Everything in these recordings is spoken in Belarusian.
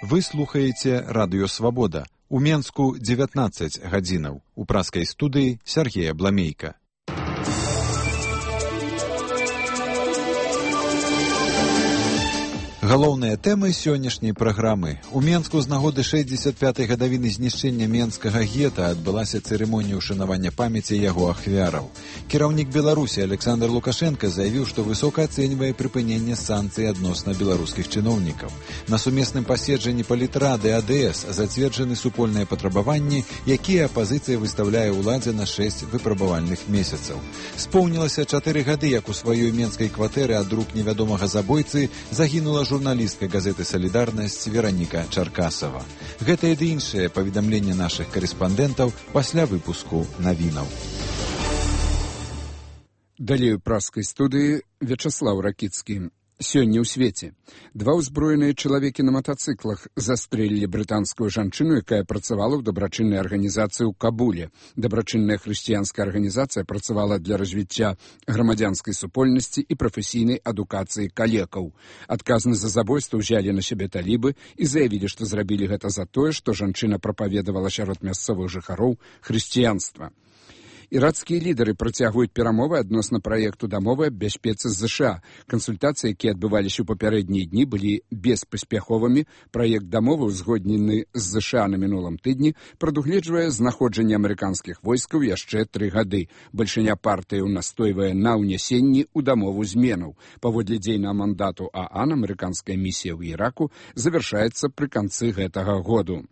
Вы слухаеце радыё «Свабода». У Менску 19 гадзінаў. У праскай студыі Сергея Бламейка. Галоўныя тэмы сённяшняй праграмы. У Менску з нагоды 65-й гадавіны знішчэння Менскага гета адбылася цырымонія ўшанавання памяці яго ахвяраў. Кіраўнік Беларусі Александр Лукашенко заявіў, што высока ацэньвае прыпыненне санкцый адносна беларускіх чыноўнікаў. На сумесным паседжанні палітрады АДС зацверджаны супольныя патрабаванні, якія апазіцыя выстаўляе ўладзе на 6 выпрабавальных месяцаў. Споўнілася 4 гады, як у сваёй менскай кватэры ад рук невядомага забойцы загінула журналістка газеты «Салідарнасць» Вераніка Чаркасава. Гэта і іншае паведамленне нашых карэспандэнтаў пасля выпуску навінаў. Далей у праскай студыі Вячаслаў Ракіцкі. Сёння ў свеце. 2 ўзброеныя чалавекі на матацыклах застрэлілі брытанскую жанчыну, якая працавала ў дабрачыннай арганізацыі ў Кабуле. Дабрачынная хрысціянская арганізацыя працавала для развіцця грамадзянскай супольнасці і прафесійнай адукацыі калекаў. Адказнасць за забойства ўзялі на сябе талібы і заявілі, што зрабілі гэта за тое, што жанчына прапаведавала сярод мясцовых жыхароў хрысціянства. Іракскія лідары працягваюць перамовы адносна праекту дамовы аб бяспецы з ЗША. Кансультацыі, якія адбываліся ў папярэднія дні, былі беспаспяховымі. Праект дамовы, узгоднены з ЗША на мінулым тыдні, прадугледжвае знаходжанне амерыканскіх войскаў яшчэ 3 гады. Бальшыня партыяў настойвае на ўнясенні ў дамову зменаў. Паводле дзейнага мандату ААН, амерыканская місія ў Іраку завяршаецца пры канцы гэтага году.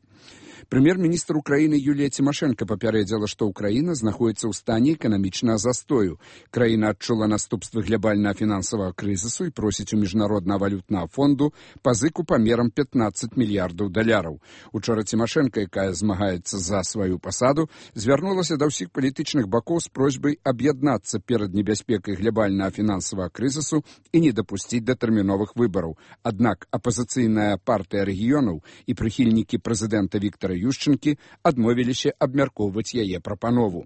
Прэм'ер-міністр Украіны Юлія Цімашэнка папярэдзіла, што Украіна знаходзіцца ў стане эканамічнага застою. Краіна адчула наступствы глобальнага фінансавага крызісу і просіць у міжнароднага валютнага фонду пазыку памерам $15 мільярдаў. Учора Цімашэнка, якая змагаецца за сваю пасаду, звярнулася да ўсіх палітычных бакоў з просьбай аб'яднацца перад небяспекай глобальнага фінансавага крызісу і не дапусціць датэрміновых выбараў. Аднак апазіцыйная партыя рэгіёнаў і прыхільнікі прэзідэнта Віктара Ющенкі адмовіліся абмяркоўваць яе прапанову.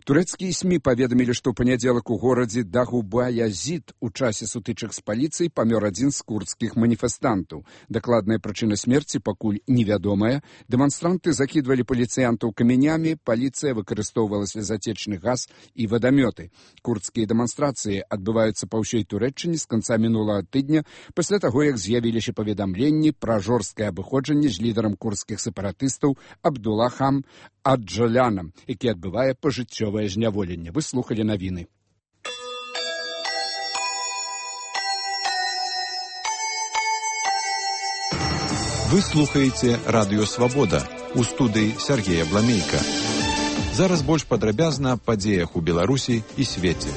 Турэцкія СМІ паведамілі, што ў панядзелак у горадзе Дагуба-Язід у часе сутычак з паліцыяй памёр адзін з курдскіх маніфестантаў. Дакладная прычына смерці пакуль невядомая. Дэманстранты закідвалі паліцыянтаў камянямі, паліцыя выкарыстоўвала слезатечны газ і вадамёты. Курдскія дэманстрацыі адбываюцца па ўсёй Турэччыне з канца мінулага тыдня, пасля таго, як з'явіліся паведамленні пра жорсткае абыходжанне з лідарам курдскіх сепаратыстаў Абдулахам Аджалянам, які адбывае пажыццёвае зняволенне. Вы слухалі навіны. Вы слухаеце радыё «Свабода». У студыі Сергея Бламейка. Зараз больш падрабязна аб падзеях у Беларусі і свеце.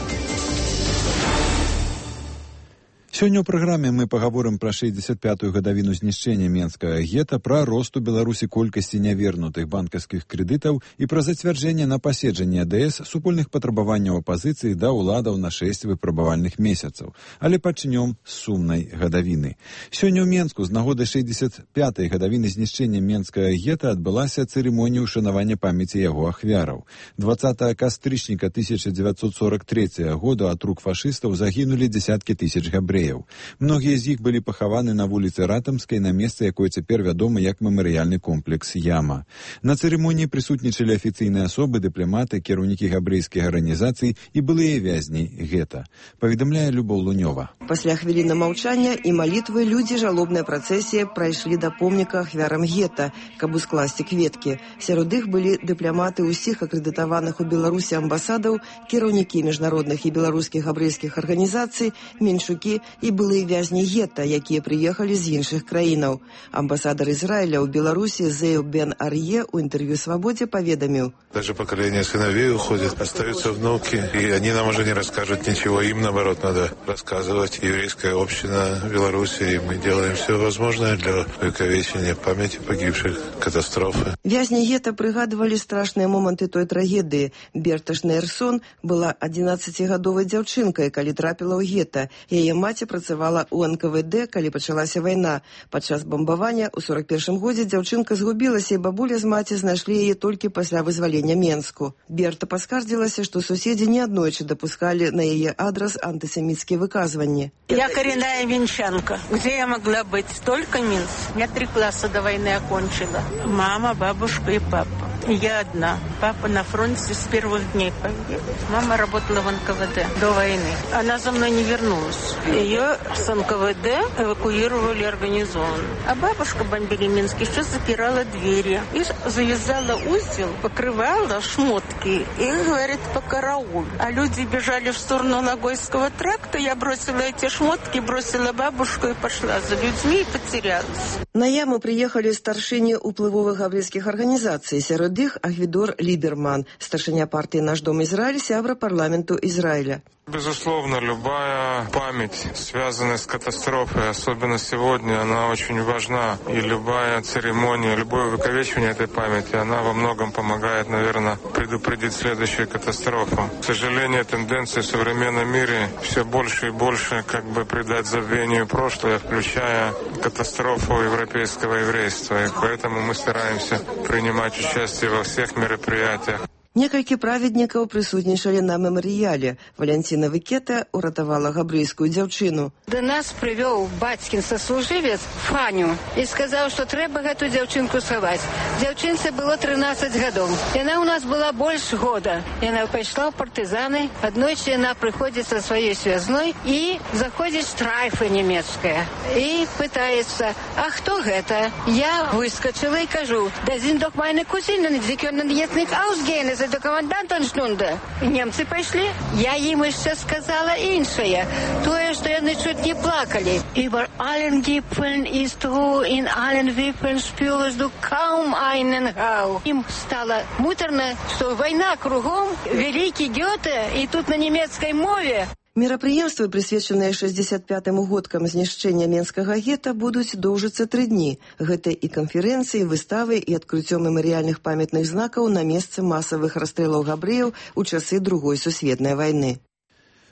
Сёння ў праграме мы пагаворым пра 65-ю гадавіну знішчэння Менскага гета, пра рост у Беларусі колькасці нявернутых банкаўскіх крэдытаў і пра зацвярджэнне на паседжанні АДС супольных патрабаванняў апазіцыі да ўладаў на 6 выпрабавальных месяцаў. Але пачнём з сумнай гадавіны. Сёння ў Менску з нагоды 65-й гадавіны знішчэння Менскага гета адбылася цырымонія ўшанавання памяці яго ахвяраў. 20 кастрычніка 1943 году ад рук фашыстаў загінулі дзесяткі тысяч габрэяў. Многія з іх былі пахаваны на вуліцы Ратамскай, на месцы, якое цяпер вядома як мемарыяльны комплекс Яма. На цырымоніі прысутнічалі афіцыйныя асобы, дыпламаты, кіраўнікі габрэйскіх арганізацый і былыя вязні гета. Паведамляе Любоў Лунёва. Пасля хвіліны маўчання і малітвы людзі жалобнай працэсіі прайшлі да помніка ахвярам гета, каб ускласці кветкі. Сярод іх былі дыпламаты ўсіх акрэдытаваных у Беларусі амбасадаў, кіраўнікі міжнародных і беларускіх габрэйскіх арганізацый, меншукі і былыя вязні гета, якія прыехалі з іншых краінаў. Амбасадар Израиля ў Беларусі Зею Бен Арье ў интервью «Свободе» поведомил. Даже поколение сыновей уходит, остаются внуки, и они нам уже не расскажут ничего. Им, наоборот, надо рассказывать. Еврейская община в Беларуси, и мы делаем все возможное для увековечения памяти погибших катастрофы. Вязни гета пригадывали страшные моменты той трагедии. Берта Шнейрсон была 11-гадовой дзяўчынкай, калі трапіла ў гета. Яе маці маці працавала ў НКВД, калі пачалася вайна. Падчас бамбавання ў 41-м годзе дзяўчынка згубілася, і бабуля з маці знайшлі яе толькі пасля вызвалення Менску. Берта паскардзілася, што суседзі неаднойчы дапускалі на яе адрас антысеміцкія выказванні. Я коренная минчанка. Где я могла быть? Только Минск. Я 3 класса до войны окончила. Мама, бабушка и папа. Я одна. Папа на фронте с первых дней погиб. Мама работала в НКВД до войны. Она за мной не вернулась. Ее с НКВД эвакуировали организованно. А бабушка бомбили Минск, еще запирала двери. И завязала узел, покрывала шмотки и, говорит, по караул. А люди бежали в сторону Логойского тракта. Я бросила эти шмотки, бросила бабушку и пошла за людьми и потерялась. На яму приехали старшыні ўплывовых габрэйскіх арганізацый. Сярод іх Агвідор Ліберман, старшыня партии «Наш дом Израиль», сябра парламенту Израиля. Безусловно, любая память, связанная с катастрофой, особенно сегодня, она очень важна. И любая церемония, любое увековечивание этой памяти, она во многом помогает, наверное, предупредить следующую катастрофу. К сожалению, тенденция в современном мире все больше и больше придать забвению прошлое, включая катастрофу европейского еврейства. И поэтому мы стараемся принимать участие во всех мероприятиях. Некалькі праведнікаў прысутнічалі на мемарыяле. Валянціна Вікета уратавала габрэйскую дзяўчыну. До нас прывёў бацькін саслужывец Фаню і сказаў, што трэба гэту дзяўчынку схаваць. Дзяўчынцы было 13 гадоў. Яна ў нас была больш года. Яна пайшла ў партызаны. Аднойчы яна прыходзіць са сваёй связной і заходзіць штрайфа нямецкая. І пытаецца, а хто гэта? Я выскачыла і кажу, да sind doch meine Cousinen, sie können jetzt nicht ausgehen. До комендантансtunde. Немцы пайшлі. Я ім яшчэ сказала іншае. Тое, што яны чуць не плакалі. Über allen Gipfeln ist Ruhe, in allen Wipfeln spürst du kaum einen Hauch. Ім стала муторна, што вайна кругом, вялікі Гёте, і тут на нямецкай мове. Мерапрыемствы, прысвечаныя 65-му годкам знішчэння Менскага гета, будуць доўжыцца 3 дні. Гэта і канферэнцыі, выставы і адкрыццё мемарыяльных памятных знакаў на месцы масавых расстрэлаў габрэяў у часы Другой сусветнай вайны.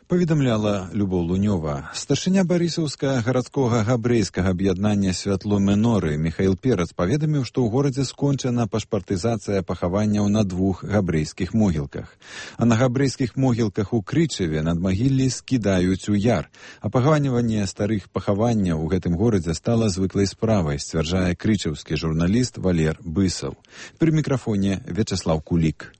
Паведамляла Любоў Лунёва. Старшыня барысаўскага гарадскога габрэйскага аб'яднання «Святло Меноры» Михаил Перац паведаміў, што ў горадзе скончана пашпартызацыя пахаванняў на 2 габрэйскіх могілках. А на габрэйскіх могілках у Крычаве надмагіллі скідаюць у яр. А пахаванне старых пахаванняў у гэтым горадзе стала звыклай справай, сцвярджае крычаўскі журналіст Валер Бысаў. Пры мікрафоне Вячеслав Кулік.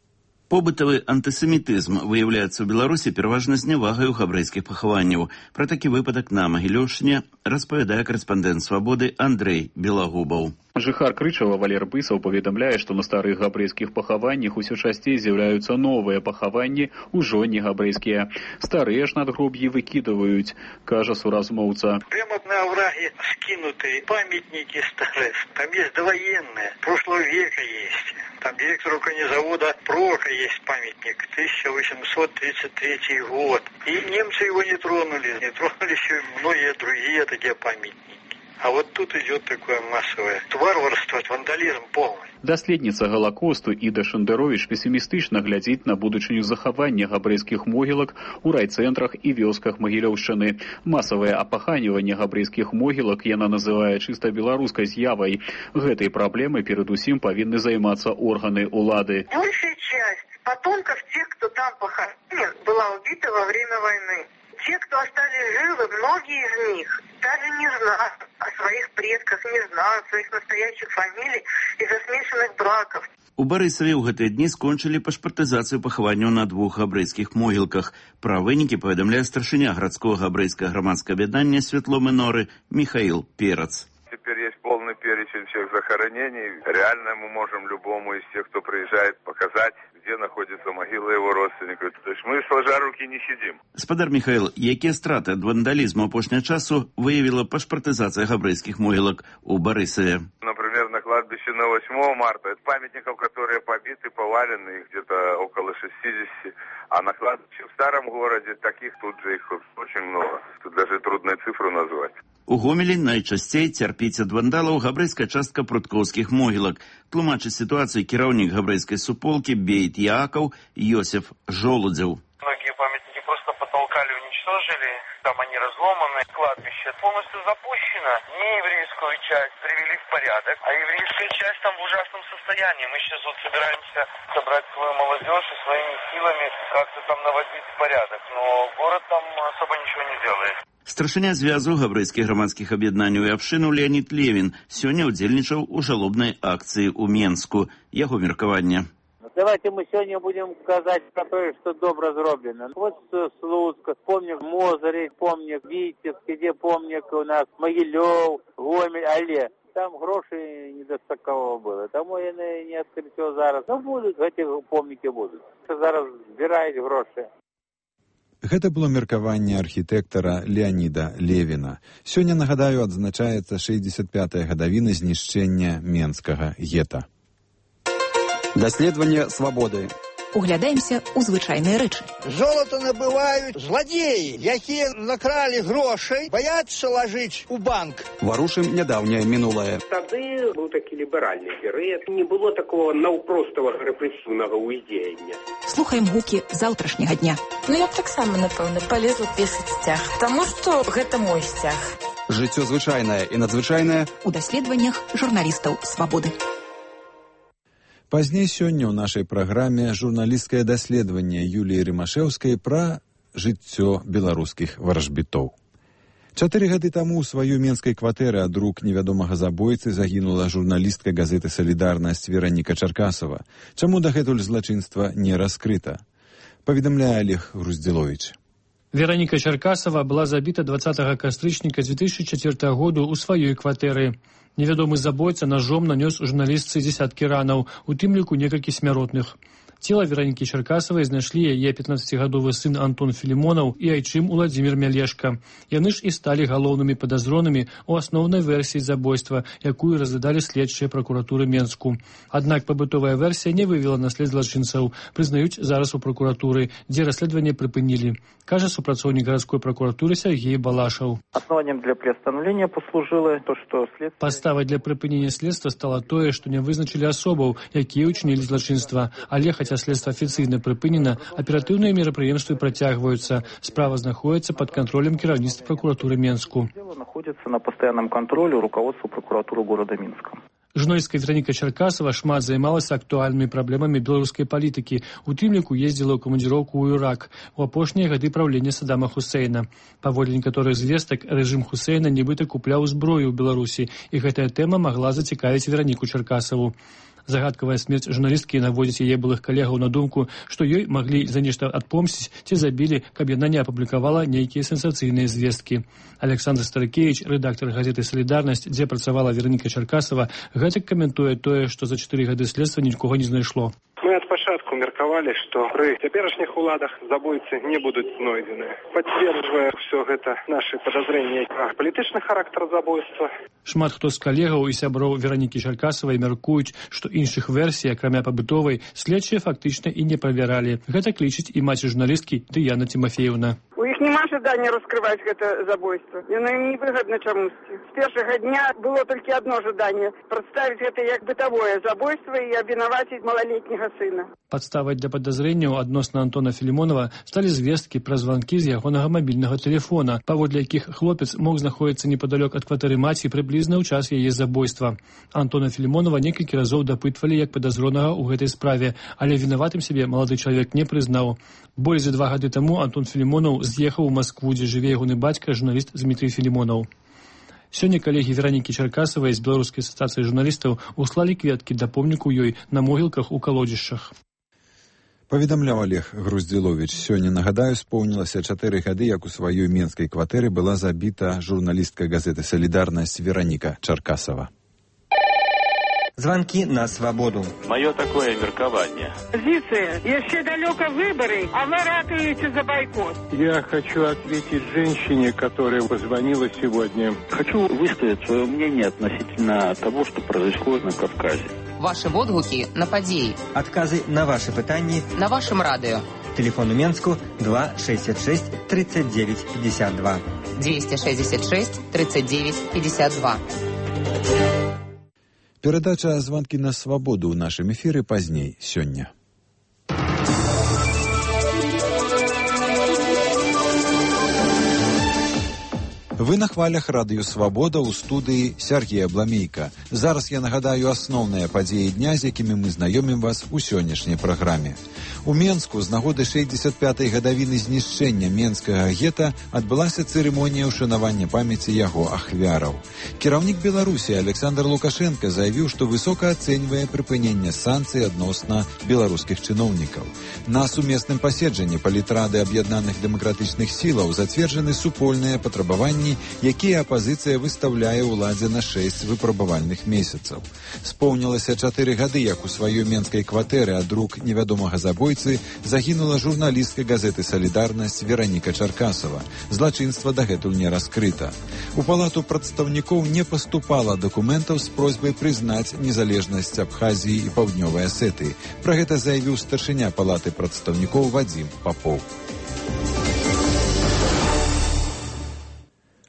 Побытавы антысемітызм выяўляецца ў Беларусі пераважна знявагаю габрэйскіх пахаванняў. Пра такі выпадак на Магілёўшчыне распавядае карэспандэнт «Свабоды» Андрэй Белагубаў. Жыхар Крычава Валер Бысаў паведамляе, што на старых габрэйскіх пахаваннях усё часцей з'яўляюцца новыя пахаванні, ужо не габрэйскія. Старыя ж надгроб'і выкідваюць, кажа суразмоўца. Прямо на овраге скинутые памятники старые. Там есть довоенные, прошлого века есть. Там директору конезавода Прока есть памятник, 1833 год. И немцы его не тронули еще многие другие такие памятники. А вот тут идет такое массовое варварство, вандализм полный. Даследніца Галакосту Іда Шандеровіч песімістычна глядзіць на будучыню захавання габрэйскіх могілак у райцэнтрах і вёсках Магілёўшчыны. Масавае апаханіванне габрэйскіх могілак яна называе чыста беларускай з'явай. Гэтай праблемай перадусім павінны займацца органы улады. Большая часть потомков тех, кто там похоронен, была убита во время войны. Те, кто остались живы, многие из них даже не знают о своих предках, не знают своих настоящих фамилий из-за смешанных браков. У Барысаве ў гэтыя дні скончылі пашпартызацыю пахаванняў на 2 габрэйскіх могілках. Пра вынікі паведамляе старшыня гарадскога габрэйскага грамадскага аб'яднання «Святло Меноры» Михаил Перац. Теперь есть полный перечень всех захоронений. Реально мы можем любому из тех, кто приезжает, показать, где находится могила его родственников. То есть мы сложа руки не сидим. Спадар Михаил, якія страты ад вандалізму апошняга часу выявила пашпартызацыя габрэйскіх могілак у Барысаве? Например, на кладбище на 8 марта. Это памятников, которые побиты, повалены, их где-то около 60. А на кладбище в старом городе таких тут же их очень много. Тут даже трудно цифру назвать. У Гомелі найчасцей цярпіць ад вандалаў габрэйская частка пруткоўскіх могілак. Тлумачыць сітуацыю кіраўнік габрэйскай суполкі Бейт Яакаў Йосеф Жолудзеў. Многие памятники просто потолка забрали, уничтожили. Там они разломаны. Кладбище полностью запущено. Нееврейскую часть привели в порядок, а еврейская часть там в ужасном состоянии. Мы сейчас вот собираемся собрать свою молодежь и своими силами как-то там наводить порядок. Но город там особо ничего не делает. Старшыня звязу габрэйскіх грамадскіх аб'яднанняў і абшчынаў Леонид Левин сёння удзельнічаў у жалобнай акцыі ў Менску. Яго меркаванне. Давайте мы сегодня будем сказать про то, что добро зроблено. Вот Слуцк, помнік Мозырі, помнік Витебск, где помнік у нас Могилев, Гомель, але там грошей недостатково было. Тому і не відкрито зараз. Ну, будуть, ці помніки будуть. Зараз збирають гроші. Гэта было меркаванне архітэктара Леоніда Левіна. Сёння, нагадаю, адзначаецца 65-я гадавіна знішчэння Менскага гета. Даследаванне свабоды. Углядаемся ў звычайныя рэчы. Золото набываюць зладзеі, якія накралі грошай, баяцца лажыць у банк. Варушым нядаўняе мінулае. Тады быў такі ліберальны перыяд. Не было такого наўпроставага рэпрэсіўнага ўздзеяння. Слухаем гукі заўтрашняга дня. Я б таксама, напэўна, палезла песаць сцяг, таму што гэта мой сцяг. Жыццё звычайнае і надзвычайнае у даследаваннях журналістаў свабоды. Пазней сёння ў нашай праграме журналісцкае даследаванне Юліі Рымашэўскай пра жыццё беларускіх варажбітоў. 4 гады таму ў сваёй менскай кватэры ад рук невядомага забойцы загінула журналістка газеты «Салідарнасць» Вераніка Чаркасава. Чаму дагэтуль злачынства не раскрыта? Паведамляе Олег Груздзіловіч. Вераніка Чаркасава была забіта 20 кастрычніка 2004 году ў сваёй кватэры. Невядомы забойца ножом нанёс журналістцы дзесяткі ранаў, у тым ліку некалькі смяротных. Цела Веранікі Чаркасавай знайшлі яе 15-гадовы сын Антон Філімонаў і айчым Уладзімір Мялешка. Яны ж і сталі галоўнымі падазронымі ў асноўнай версіі забойства, якую разглядалі следчыя пракуратуры Менску. Аднак пабытовая версія не вывела на след злачынцаў, прызнаюць зараз у пракуратуры, дзе расследаванне прыпынілі. Кажа супрацоўнік гарадской пракуратуры Сергей Балашаў. Основанием для приостановления послужило то, что следствие... Падставай для прыпынення следства стало тое, што не вызначылі асобаў, якія ўчынілі злачынства, але хаця следства афіцыйна прыпынена, аператыўныя мерапрыемствы працягваюцца. Справа знаходзіцца пад кантролем кіраўніцтва пракуратуры Менску. Дело находится на постоянном контроле у руководства прокуратуры города Минска. Журналістка Вераніка Чаркасава шмат займалася актуальнымі праблемамі беларускай палітыкі. У тым ліку ездзіла ў камандзіроўку ў Ірак у апошнія гады правлення Саддама Хусейна. Паводле некаторых звестак, рэжым Хусейна нібыта купляў зброю ў Беларусі, і гэтая тэма магла зацікавіць Вераніку Чаркасаву. Загадкавая смерць журналісткі наводзіць яе былых калегаў на думку, што ёй маглі за нешта адпомсціць ці забілі, каб яна не апублікавала нейкія сенсацыйныя звесткі. Александр Старыкевіч, рэдактар газеты «Салідарнасць», дзе працавала Вераніка Чаркасава, гэтак каментуе тое, што за 4 гады следства нікога не знайшло. Мы ад пачатку меркавалі, што пры цяперашніх уладах забойцы не будуць знойдзены. Пацверджвае ўсё гэта нашы падазрэнні пра палітычны характар забойства. Шмат хто з калегаў і сяброў Веранікі Чаркасавай мяркуюць, што іншых версій, акрамя пабытовай, следчыя фактычна і не правяралі. Гэта клічыць і маці журналісткі Дыяна Тимофеевна. У іх няма жадання раскрываць гэта забойство. Яно ім невыгадна чамусьці. З першага дня было толькі адно жаданне – прадставіць гэта як бытавое забойство і абвінаваціць малалетняга сына. Падставай для падазрэнняў адносна Антона Філімонава сталі звесткі пра званкі з ягонага мабільнага тэлефона, паводле якіх хлопец мог знаходзіцца непадалёк ад кватэры маці прыблізна ў час яе забойства. Антона Філімонава некалькі разоў дапытвалі як падазронага ў гэтай справе, але вінаватым сябе малады чалавек не прызнаў. Болей за 2 гады таму Антон Філімонаў з'ехаў у Маскву, дзе жыве ягоны бацька, журналіст Дмітрый Філімонаў. Сёння калегі Веранікі Чаркасавай з Беларускай асацыяцыі журналістаў услалі кветкі да помніку ёй на могілках у калодзішчах. Паведамляў Олег Груздзіловіч. Сёння, нагадаю, споўнілася 4 гады, як у сваёй менскай кватэры была забіта журналістка газеты «Салідарнасць» Вераніка Чаркасава. Звонки на свободу. Мое такое меркование. Позиция. Еще далеко выборы, а вы ратуете за бойкот. Я хочу ответить женщине, которая позвонила сегодня. Хочу высказать свое мнение относительно того, что произошло на Кавказе. Ваши водгуки на подеи. Отказы на ваши пытания. На вашем радио. Телефон у Менску 266 39 52. 266 39 52. Перадача «Звонки на свободу» ў нашым эфіры пазней сёння. Вы на хвалях радыё «Свабода» ў студыі Сергея Бламейка. Зараз я нагадаю асноўныя падзеі дня, з якімі мы знаёмім вас у сённяшняй праграме. У Менску з нагоды 65-й гадавіны знішчэння Менскага гета адбылася цырымонія ўшанавання памяці яго ахвяраў. Кіраўнік Беларусі Александр Лукашенко заявіў, што высока ацэньвае прыпыненне санкцый адносна беларускіх чыноўнікаў. На сумесным паседжанні палітрады аб'яднаных дэмакратычных сілаў зацверджаны супольныя патрабаванні, якія апазіцыя выстаўляе ўладзе на 6 выпрабавальных месяцаў. Споўнілася 4 гады, як у сваёй менскай кватэры ад рук невядомага забойцы загінула журналістка газеты «Салідарнасць» Вераніка Чаркасова. Злачынства дагэтуль не раскрыта. У палату прадстаўнікоў не паступала дакументаў з просьбай прызнаць незалежнасць Абхазіі і Паўднёвай Асетыі. Пра гэта заявіў старшыня палаты прадстаўнікоў Вадзім Папоў.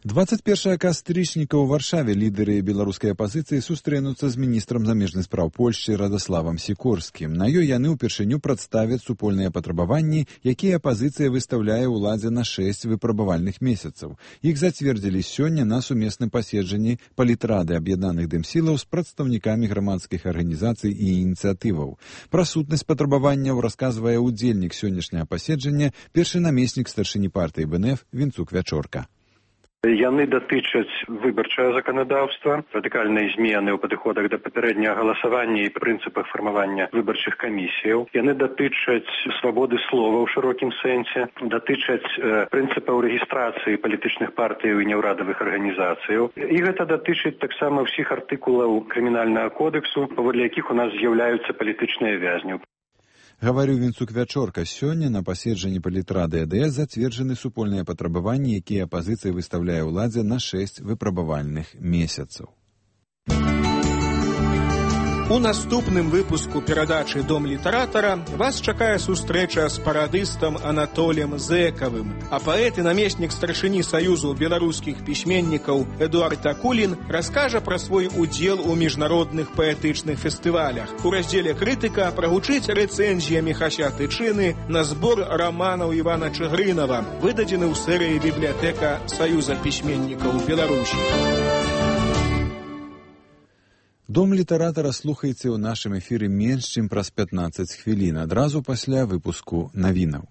21 кастрычніка ў Варшаве лідары беларускай апазіцыі сустрэнуцца з міністрам замежных спраў Польшчы Радославам Сікорскім. На ёй яны ўпершыню прадставяць супольныя патрабаванні, якія апазіцыя выстаўляе ўладзе на 6 выпрабавальных месяцаў. Іх зацвердзілі сёння на сумесным паседжанні палітрады аб'яднаных дэмсілаў з прадстаўнікамі грамадскіх арганізацый і ініцыятываў. Пра сутнасць патрабаванняў расказвае ўдзельнік сённяшняга паседжання, першы намеснік старшыні партыі БНФ Вінцук Вячорка. Яны датычаць выбарчае заканадаўства, радыкальныя змены ў падыходах да папярэдняга галасавання і прынцыпах фармавання выбарчых камісіяў. Яны датычаць свабоды слова ў шырокім сэнсе, датычаць прынцыпаў рэгістрацыі палітычных партыяў і няўрадавых арганізацыяў. І гэта датычыць таксама ўсіх артыкулаў крымінальнага кодексу, паводле якіх у нас з'яўляюцца палітычныя вязні. Гаварыў Вінцук Вячорка. Сёння на паседжанні палітрады АДС зацверджаны супольныя патрабаванні, якія апазіцыя выстаўляе ўладзе на 6 выпрабавальных месяцаў. У наступным выпуску перадачы «Дом літаратара» вас чакае сустрэча з парадыстам Анатоліем Зэкавым, а паэт і намеснік старшыні Саюзу беларускіх пісьменнікаў Эдуард Акулін раскажа пра свой удзел у міжнародных паэтычных фестывалях. У раздзеле «Крытыка» прагучыць рэцэнзія Міхася Тычыны на збор раманаў Івана Чыгрынава, выдадзены ў серыі «Бібліятэка Саюза пісьменнікаў Беларусі». Дом літаратара слухайце ў нашым эфіры менш, чым праз 15 хвілін, адразу пасля выпуску навінаў.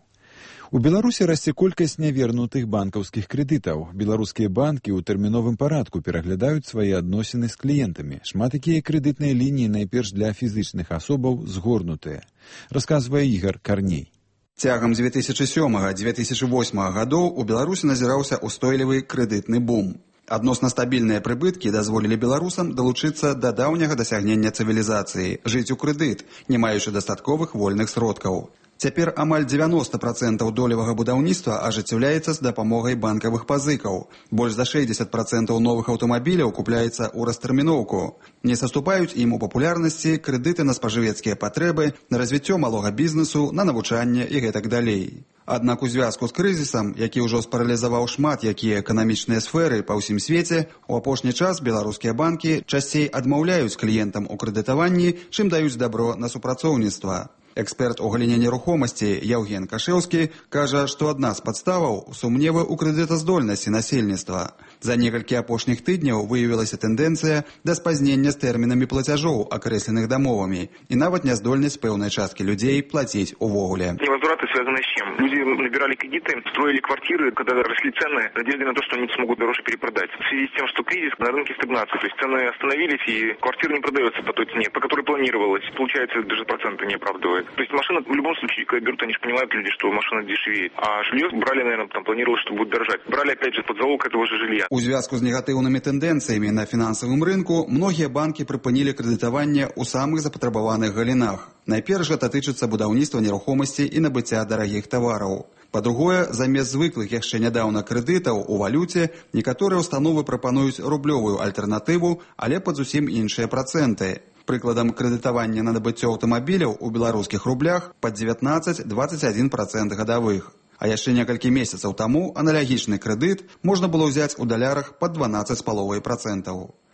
У Беларусі расце колькасць нявернутых банкаўскіх крэдытаў. Беларускія банкі ў тэрміновым парадку пераглядаюць свае адносіны з кліентамі. Шмат якія крэдытныя лініі найперш для фізычных асобаў згорнутыя. Расказвае Ігар Карней. Цягам 2007-2008 гадоў у Беларусі назіраўся устойлівы крэдытны бум. Адносна стабільныя прыбыткі дазволілі беларусам далучыцца да даўняга дасягнення цывілізацыі, жыць у крэдыт, не маючы дастатковых вольных сродкаў. Цяпер амаль 90% долевага будаўніцтва ажыццяўляецца з дапамогай банкавых пазыкаў. Больш за 60% новых аўтамабіляў купляецца ў растэрміноўку. Не саступаюць ім у папулярнасці крэдыты на спажывецкія патрэбы, на развіццё малога бізнесу, на навучанне і гэтак далей. Аднак у звязку з крызісам, які ўжо спаралізаваў шмат якія эканамічныя сферы па ўсім свеце, у апошні час беларускія банкі часцей адмаўляюць кліентам у крэдытаванні, чым даюць дабро на супрацоўніцтва. Эксперт у галіне нерухомасці Яўген Кашэўскі кажа, што адна з падставаў сумневы ў крэдытаздольнасці насельніцтва. За некалькі апошніх тыдняў выявілася тэндэнцыя да спазнення з тэрмінамі плацяжоў, акрэсленых дамовамі, і нават няздольнасць пэўнай часткі людзей плаціць увогуле. Невозвраты связаны с чем? Люди набирали кредиты, строили квартиры, когда росли цены, надежды на то, что они смогут дороже перепродать. В связи с тем, что кризис, на рынке стагнация, то есть цены остановились, и квартира не продается по той цене, по которой планировалось. Получается, даже проценты не оправдывает. То есть машина, в любом случае, когда берут, они же понимают люди, что машина дешевеет. А жилье брали, наверное, там планировалось, что будет дорожать. Брали, опять же, под залог этого же жилья. У звязку з негатыўнымі тэндэнцыямі на фінансавым рынку многія банкі прыпынілі крэдытаванне ў самых запатрабаваных галінах. Найперш гэта тычыцца будаўніцтва нерухомасці і набыцця дарагіх тавараў. Па-другое, замест звыклых яшчэ нядаўна крэдытаў у валюце, некаторыя ўстановы прапануюць рублёвую альтэрнатыву, але пад зусім іншыя працэнты. Прыкладам, крэдытавання на набыццё аўтамабіляў у беларускіх рублях пад 19-21% гадавых. А яшчэ некалькі месяцаў таму аналагічны крэдыт можна было ўзяць у далярах пад 12,5%.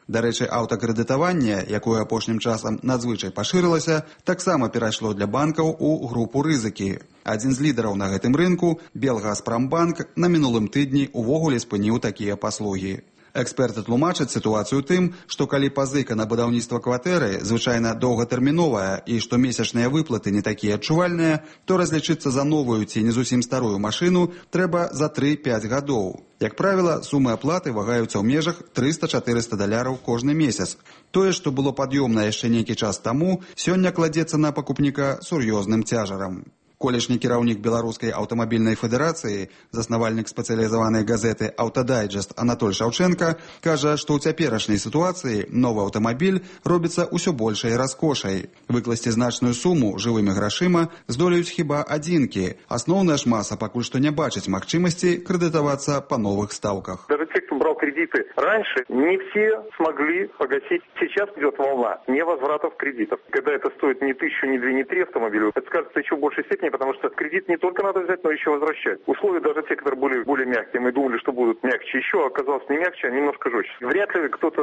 Дарэчы, аўтакрэдытаванне, якое апошнім часам надзвычай пашырылася, таксама перайшло для банкаў у групу рызыкі. Адзін з лідараў на гэтым рынку, Белгазпромбанк, на мінулым тыдні увогуле спыніў такія паслугі. Эксперты тлумачаць сітуацыю тым, што калі пазыка на будаўніцтва кватэры звычайна доўгатэрміновая і што месячныя выплаты не такія адчувальныя, то разлічыцца за новую ці не зусім старую машыну трэба за 3-5 гадоў. Як правіла, сумы аплаты вагаюцца ў межах $300-400 кожны месяц. Тое, што было пад'ёмна яшчэ нейкі час таму, сёння кладзецца на пакупніка сур'ёзным цяжарам. Колішні кіраўнік Беларускай аўтамабільнай федэрацыі, заснавальнік спецыялізаванай газеты «Аўтадайджэст» Анатоль Шаўчэнка кажа, што ў цяперашняй сітуацыі новы аўтамабіль робіцца ўсё большай раскошай. Выкласці значную суму жывымі грашыма здолеюць хіба адзінкі. Асноўная ж маса пакуль што не бачыць магчымасці крэдытавацца па новых стаўках. Даже те, кто брал кредиты раньше, не все смогли погасить. Сейчас идет волна невозвратов кредитов. Когда это стоит не 1000, не 2, не 3 автомобиля, это скажется еще в большей степени, потому что кредит не только надо взять, но еще возвращать. Условия даже те, которые были более мягкие, мы думали, что будут мягче еще, оказалось не мягче, а немножко жестче. Вряд ли кто-то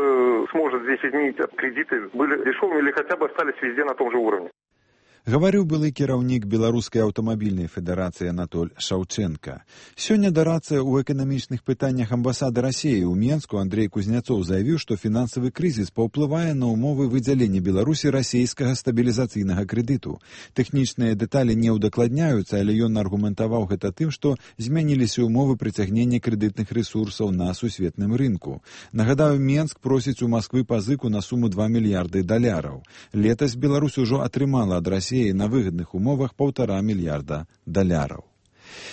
сможет здесь изменить кредиты, были дешевыми или хотя бы остались везде на том же уровне. Гаварыў былы кіраўнік Беларускай аўтамабільнай федэрацыі Анатоль Шаўчэнка. Сёння дарацца ў эканамічных пытаннях амбасады Расіі ў Менску Андрей Кузнецоў заявіў, што фінансавы крызіс паўплывае на ўмовы выдзялення Беларусі расійскага стабілізацыйнага крэдыту. Тэхнічныя дэталі не ўдакладняюцца, але ён аргументаваў гэта тым, што змяніліся ўмовы прыцягнення крэдытных рэсурсаў на сусветным рынку. Нагадаю, Менск просіць у Масквы пазыку на суму $2 мільярды. Летась Беларусь ужо атрымала ад Расіі на выгадных умовах $1,5 мільярда.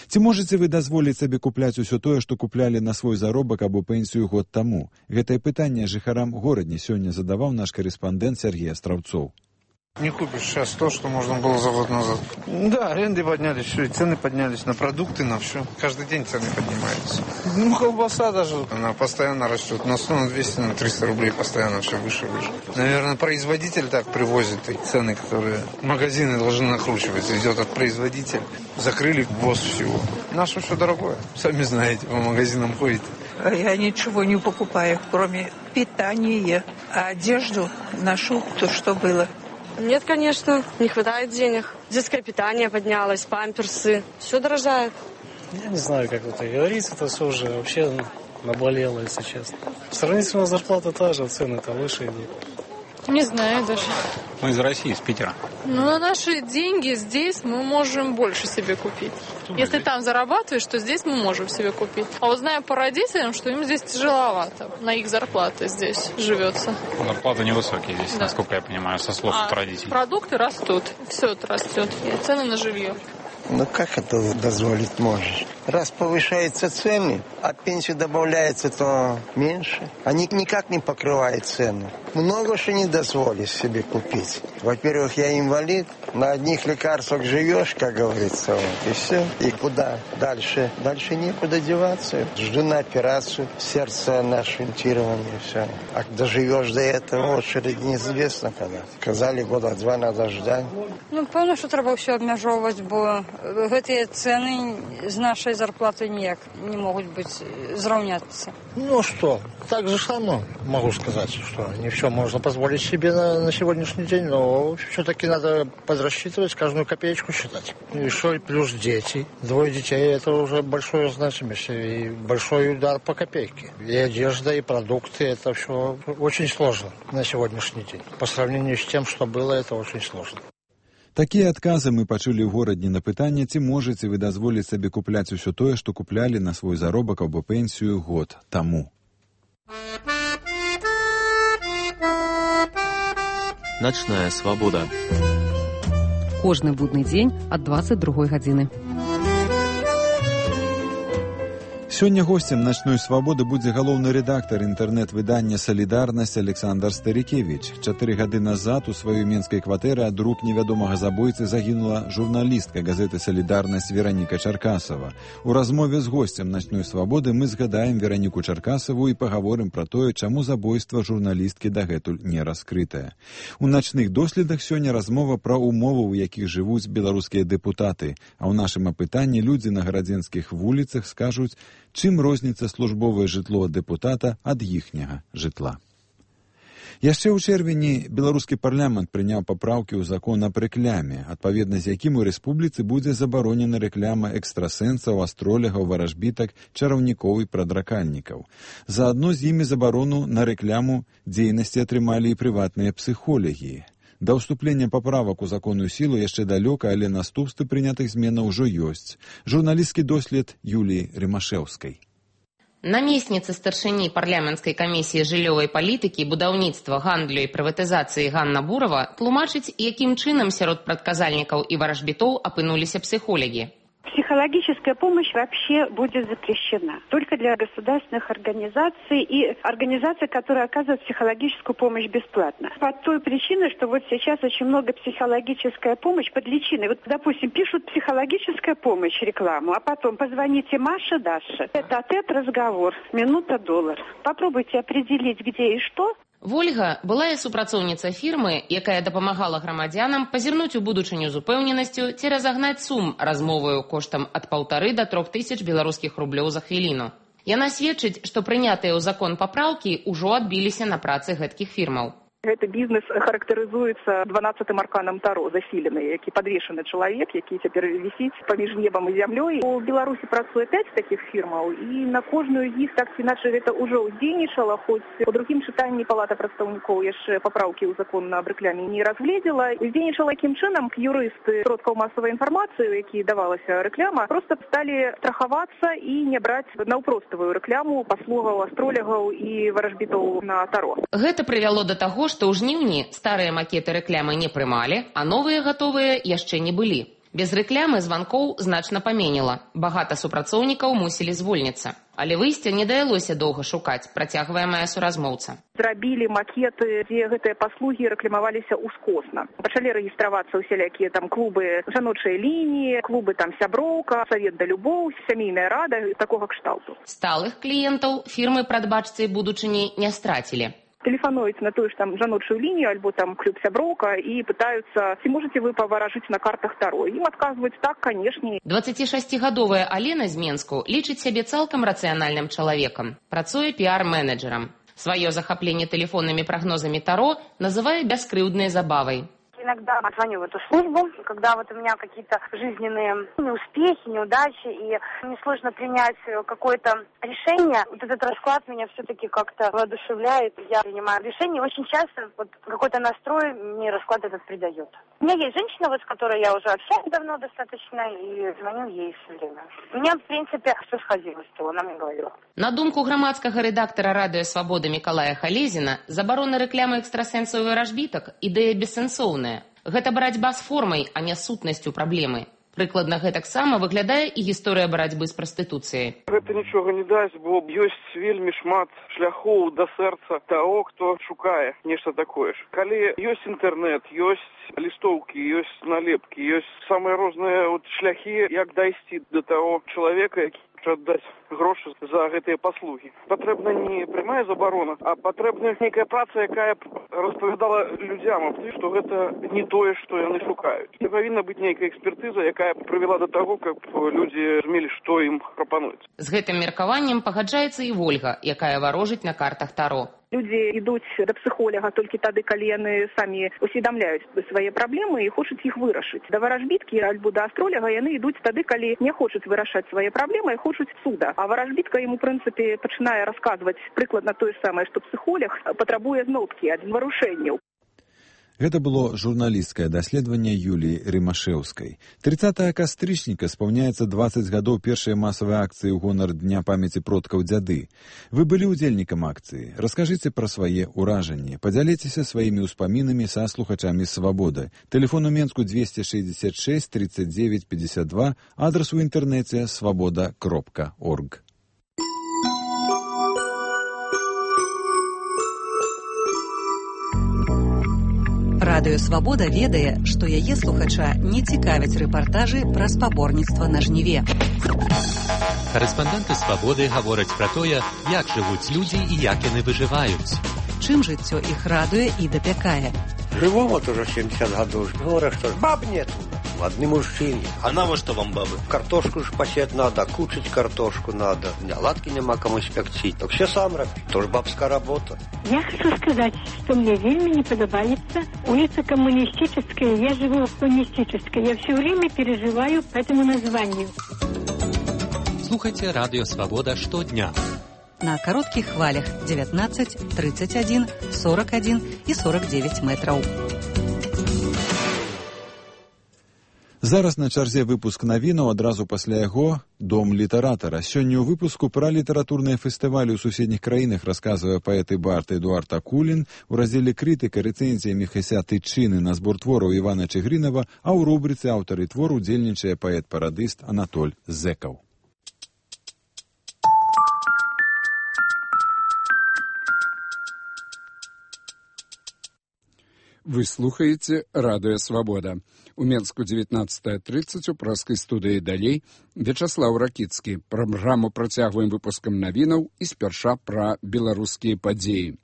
Ці можаце вы дазволіць сабе купляць усё тое, што куплялі на свой заробак або пенсію год таму? Гэтае пытанне жыхарам горадні сёння задаваў наш карэспандэнт Сергей Астраўцоў. Не купишь сейчас то, что можно было за год назад. Да, аренды поднялись, все, и цены поднялись на продукты, на все. Каждый день цены поднимаются. Ну, колбаса даже, она постоянно растет. На 100, на 200, на 300 рублей постоянно все выше и выше. Наверное, производитель так привозит и цены, которые магазины должны накручивать. Идет от производителя. Закрыли ввоз всего. Наше все дорогое. Сами знаете, по магазинам ходите. Я ничего не покупаю, кроме питания. А одежду ношу то, что было. Нет, конечно, не хватает денег. Детское питание поднялось, памперсы. Все дорожает. Я не знаю, как это говорится, это все уже вообще наболело, если честно. Сравнительно зарплата та же, цены-то выше идут. Не знаю даже. Мы из России, из Питера. Ну, на наши деньги здесь мы можем больше себе купить. Если там зарабатываешь, то здесь мы можем себе купить. А вот знаю по родителям, что им здесь тяжеловато. На их зарплаты здесь живется. Зарплаты невысокие здесь, да, насколько я понимаю, со слов родителей. Продукты растут, все это растет. И цены на жилье. Ну как это дозволить можешь? Раз повышаются цены, а пенсию добавляется, то меньше. Они никак не покрывают цены. Много что не дозволишь себе купить. Во-первых, я инвалид, на одних лекарствах живешь, как говорится, вот, и все. И куда дальше? Дальше некуда деваться. Жду на операцию, сердце на шунтирование, все. А доживешь до этого, очередь неизвестно когда. Сказали, 2 года надо ждать. Ну, певно, що треба все обмежовувати, бо ці ціни з нашої зарплати ніяк не можуть бути зрівнятися. Ну что, так же само могу сказать, что не все можно позволить себе на сегодняшний день, но все-таки надо подрасчитывать, каждую копеечку считать. И что, и плюс дети. 2 детей, это уже большое значимость и большой удар по копейке. И одежда, и продукты, это все очень сложно на сегодняшний день. По сравнению с тем, что было, это очень сложно. Такія адказы мы пачулі ў горадні на пытанне, ці можаце вы дазволіць сабе купляць усё тое, што куплялі на свой заробак або пенсію год таму. Начная свабода. Кожны будны дзень ад 22 гадзіны. Сёння госцем «Начной свабоды» будзе галоўны рэдактар інтэрнэт-выдання «Салідарнасць» Александр Старікевіч. 4 гады назад у сваёй менскай кватэры ад рук невядомага забойцы загінула журналістка газеты «Салідарнасць» Вераніка Чаркасава. У размове з госцем «Начной свабоды» мы згадаем Вераніку Чаркасаву і пагаворым пра тое, чаму забойства журналісткі дагэтуль не раскрытае. У начных доследах сёння размова пра умовы, у якіх жывуць беларускія дэпутаты, а ў нашым апытанні людзі на гарадзенскіх вуліцах скажуць, чым розніцца службовае жытло дэпутата ад іхняга жытла. Яшчэ ў чэрвені беларускі парламент прыняў папраўкі ў закон аб рэкляме, адпаведна з якім у рэспубліцы будзе забаронена рэкляма экстрасэнсаў, астролягаў, варажбітак, чараўнікоў і прадракальнікаў. Заадно з імі забарону на рэкляму дзейнасці атрымалі і прыватныя псіхолагі. Да ўступлення паправак у законную сілу яшчэ далёка, але наступствы прынятых зменаў ужо ёсць. Журналістскі дослед Юліі Рымашэўскай. Намесніца старшыні парламенцкай камісіі жыллёвай палітыкі, будаўніцтва, гандлю і прыватызацыі Ганна Бурова тлумачыць, якім чынам сярод прадказальнікаў і варажбітоў апынуліся психолаги. Психологическая помощь вообще будет запрещена. Только для государственных организаций и организаций, которые оказывают психологическую помощь бесплатно. По той причине, что вот сейчас очень много психологическая помощь под личиной. Вот, допустим, пишут психологическая помощь рекламу, а потом позвоните Маше, Даше. Это разговор, минута-доллар. Попробуйте определить, где и что. Вольга была супрацоўніца фірмы, якая дапамагала грамадзянам пазірнуць у будучыню з упэўненасцю ці разагнаць сум размоваю коштам ад 1,5 до 3 тысяч беларускіх рублёў за хвіліну. Яна сведчыць, што прынятыя ў закон папраўкі ўжо адбіліся на працы гэткіх фірмаў. Гэты бізнес характарызуецца 12-м арканам Таро, засілены, які падвешаны чалавек, які цяпер вісіць паміж небам і зямлёй. У Беларусі працуе 5 такіх фірмаў, і на кожную з іх так ці іначай гэта ўжо ўздзейнічала, хоць у другім чытанні Палата прадстаўнікоў яшчэ папраўкі ў закон аб рэкляме не разгледзела. Уздзейнічала якім чынам юрысты сродкаў масавай інфармацыі, у якія давалася рэкляма, проста сталі страхавацца і не браць наўпроставую рэкляму паслугаў астролягаў і варажбітоў на Таро. Гэта прывяло да таго, што ў жніўні старыя макеты рэклямы не прымалі, а новыя гатовыя яшчэ не былі. Без рэклямы званкоў значна паменела. Багата супрацоўнікаў мусілі звольніцца. Але выйсця не давялося доўга шукаць, працягвае мая суразмоўца. Зрабілі макеты, дзе гэтыя паслугі рэкламаваліся ўскосна. Пачалі рэгістравацца ўсялякія там клубы жаночай лініі, клубы там сяброўка, савет да любоў, сямейная рада, такога кшталту. Сталых кліентаў фірмы прадбачцы будучыні не страцілі. Тэлефануюць на тую ж там жаночую лінію, альбо там клуб сяброўка і пытаюцца, ці можете вы паваражыць на картах Таро. Ім адказваюць так, канешне. 26гадовая Алена з Менску лічыць сябе цалкам рацыянальным чалавекам. Працуе піар-менеджерам. Сваё захапленне тэлефоннымі прагнозамі Таро называе бяскрыўднай забавай. Иногда звоню в эту службу, когда вот у меня какие-то жизненные неуспехи, неудачи, и мне сложно принять какое-то решение. Вот этот расклад меня все-таки как-то воодушевляет. Я принимаю решение. Очень часто вот какой-то настрой мне расклад этот придает. У меня есть женщина, вот с которой я уже общаюсь давно достаточно, и звоню ей все время. У меня, в принципе, все сходилось, что она мне говорила. На думку грамадскага рэдактара радыё «Свабода» Мікалая Халезіна, забарона рэкламы экстрасэнсаў і варажбітак – ідэя бессэнсоўная. Гэта барацьба з формай, а не сутнасцю праблемы. Прыкладна гэтаксама выглядае і гісторыя барацьбы з прастытуцыяй. Гэта нічога не дасць, бо ёсць вельмі шмат шляхоў да сэрца таго, хто шукае нешта такое ж. Калі ёсць інтэрнэт, ёсць лістоўкі, ёсць налепкі, ёсць самыя розныя шляхі, як дайсці да таго чалавека, які хоча аддаць грошы за гэтыя паслугі. Патрэбна не прямая забарона, а патрэбна нейкая праца, якая распавядала людзям, што гэта не тое, што яны шукаюць. І павінна быць нейкая экспертыза, якая прывяла да таго, каб людзі разумелі, што ім прапануюць. З гэтым меркаваннем пагаджаецца і Вольга, якая варожыць на картах Таро. Людзі ідуць да псіхолага толькі тады, калі яны самі усведамляюць свае праблемы і хочуць іх вырашыць. Да варажбіткі альбо да астроляга яны ідуць тады, калі не хочуць вырашаць свае праблемы і хочуць суда. А варажбітка ім, у прынцыпе, пачынае расказваць прыкладна тое ж самае, што псіхолог патрабуе зноткі ад варушэнняў. Гэта было журналісцкае даследаванне Юліі Рымашэўскай. 30 кастрычніка спаўняецца 20 гадоў першай масавай акцыі ў гонар Дня памяці продкаў дзяды. Вы былі ўдзельнікам акцыі. Раскажыце пра свае ўражанні. Падзяліцеся сваімі ўспамінамі са слухачамі «Свабоды». Тэлефон у Менску 266 39 52, адрас у інтэрнэце свабода.орг. Радыё «Свабода» ведае, што яе слухача не цікавяць рэпартажы пра спаборніцтва на жніве. Карэспандэнты «Свабоды» гавораць пра тое, як жывуць людзі і як яны выжываюць. Чым жыццё іх радуе і дапякае. Живому тоже 70 годов. Говорят, что баб нету. одни мужчины. А навошта вам бабы? Картошку ж пасець надо, кучить картошку надо. Оладки нема кому спекчить. Так все сам робить. Тоже бабская работа. Я хочу сказать, что мне вельми не подобается улица Коммунистическая. Я живу в Коммунистической. Я все время переживаю по этому названию. Слухайте Радио Свобода штодня. На коротких хвалях 19, 31, 41 и 49 метров. Зараз на чарзе выпуск навінаў, адразу пасля яго «Дом літаратара». Сёння ў выпуску пра літаратурныя фестывалі ў суседніх краінах расказвае паэт і бард Эдуард Акулін, у раздзеле «Крытыка» рэцэнзія Міхася Тычыны на збор твораў Івана Чыгрынава, а ў рубрыцы «Аўтары твору» удзельнічае паэт-парадыст Анатоль Зэкаў. Вы слухаете «Радио Свобода». У Менску 19:30 у праскай студыі «Далей» Вячаслаў Ракіцкі. Праграму працягваем выпускам навінаў і спярша пра беларускія падзеі.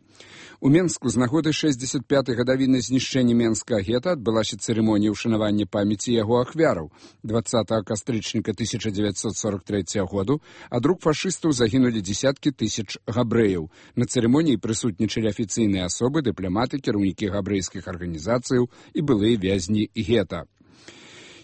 У Менску з нагоды 65-й гадавіны знішчэння Менскага гета адбылася цырымонія ўшанавання памяці яго ахвяраў. 20 кастрычніка 1943 году ад рук фашыстаў загінулі дзесяткі тысяч габрэяў. На цырымоніі прысутнічалі афіцыйныя асобы, дыпламаты, кіраўнікі габрэйскіх арганізацыяў і былыя вязні гета.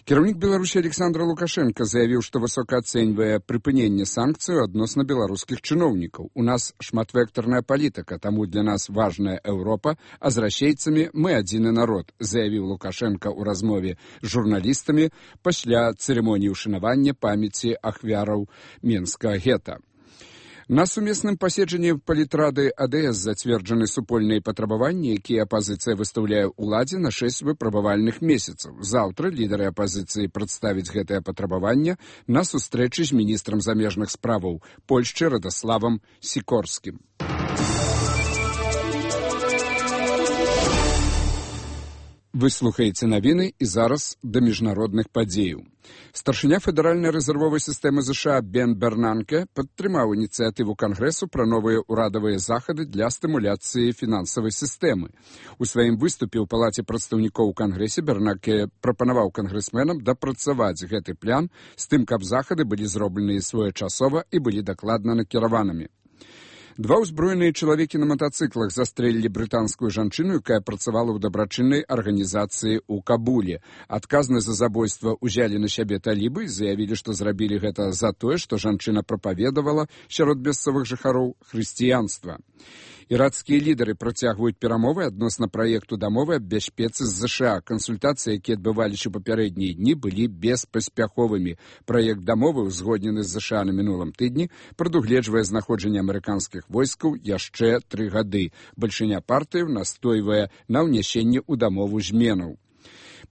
Кіраўнік Беларусі Александр Лукашенко заявіў, што высока ацэньвае прыпыненне санкцыяў адносна беларускіх чыноўнікаў. У нас шматвектарная палітыка, таму для нас важная Еўропа, а з расейцамі мы адзіны народ, заявіў Лукашенко ў размове з журналістамі пасля цырымоніі ўшанавання памяці ахвяраў Менскага гета. На сумесным паседжанні палітрады АДС зацверджаны супольныя патрабаванні, якія апазіцыя выстаўляе ўладзе на 6 выпрабавальных месяцаў. Заўтра лідары апазіцыі прадставяць гэтае патрабаванне на сустрэчы з міністрам замежных справаў Польшчы Радаславам Сікорскім. Вы слухаеце навіны і зараз да міжнародных падзеяў. Старшыня федэральнай рэзервовай сістэмы США Бен Бернанке падтрымаў ініцыятыву Кангрэсу пра новыя ўрадавыя захады для стымуляцыі фінансавай сістэмы. У сваім выступе ў палаце прадстаўнікоў у Кангрэсе Бернанке прапанаваў кангрэсменам дапрацаваць гэты план з тым, каб захады былі зробленыя своечасова і былі дакладна накіраванымі. Два ўзброеныя чалавекі на матацыклах застрэлілі брытанскую жанчыну, якая працавала ў дабрачыннай арганізацыі ў Кабуле. Адказнасць за забойства ўзялі на сябе талібы і заявілі, што зрабілі гэта за тое, што жанчына прапаведавала сярод мясцовых жыхароў хрысціянства. Іракскія лідары працягваюць перамовы адносна праекту дамовы аб бяспецы з ЗША. Кансультацыі, якія адбываліся ў папярэднія дні, былі беспаспяховымі. Праект дамовы, узгоднены з ЗША на мінулым тыдні, прадугледжвае знаходжанне амерыканскіх войскаў яшчэ 3 гады. Бальшыня партыяў настойвае на ўнясенні ў дамову зменаў.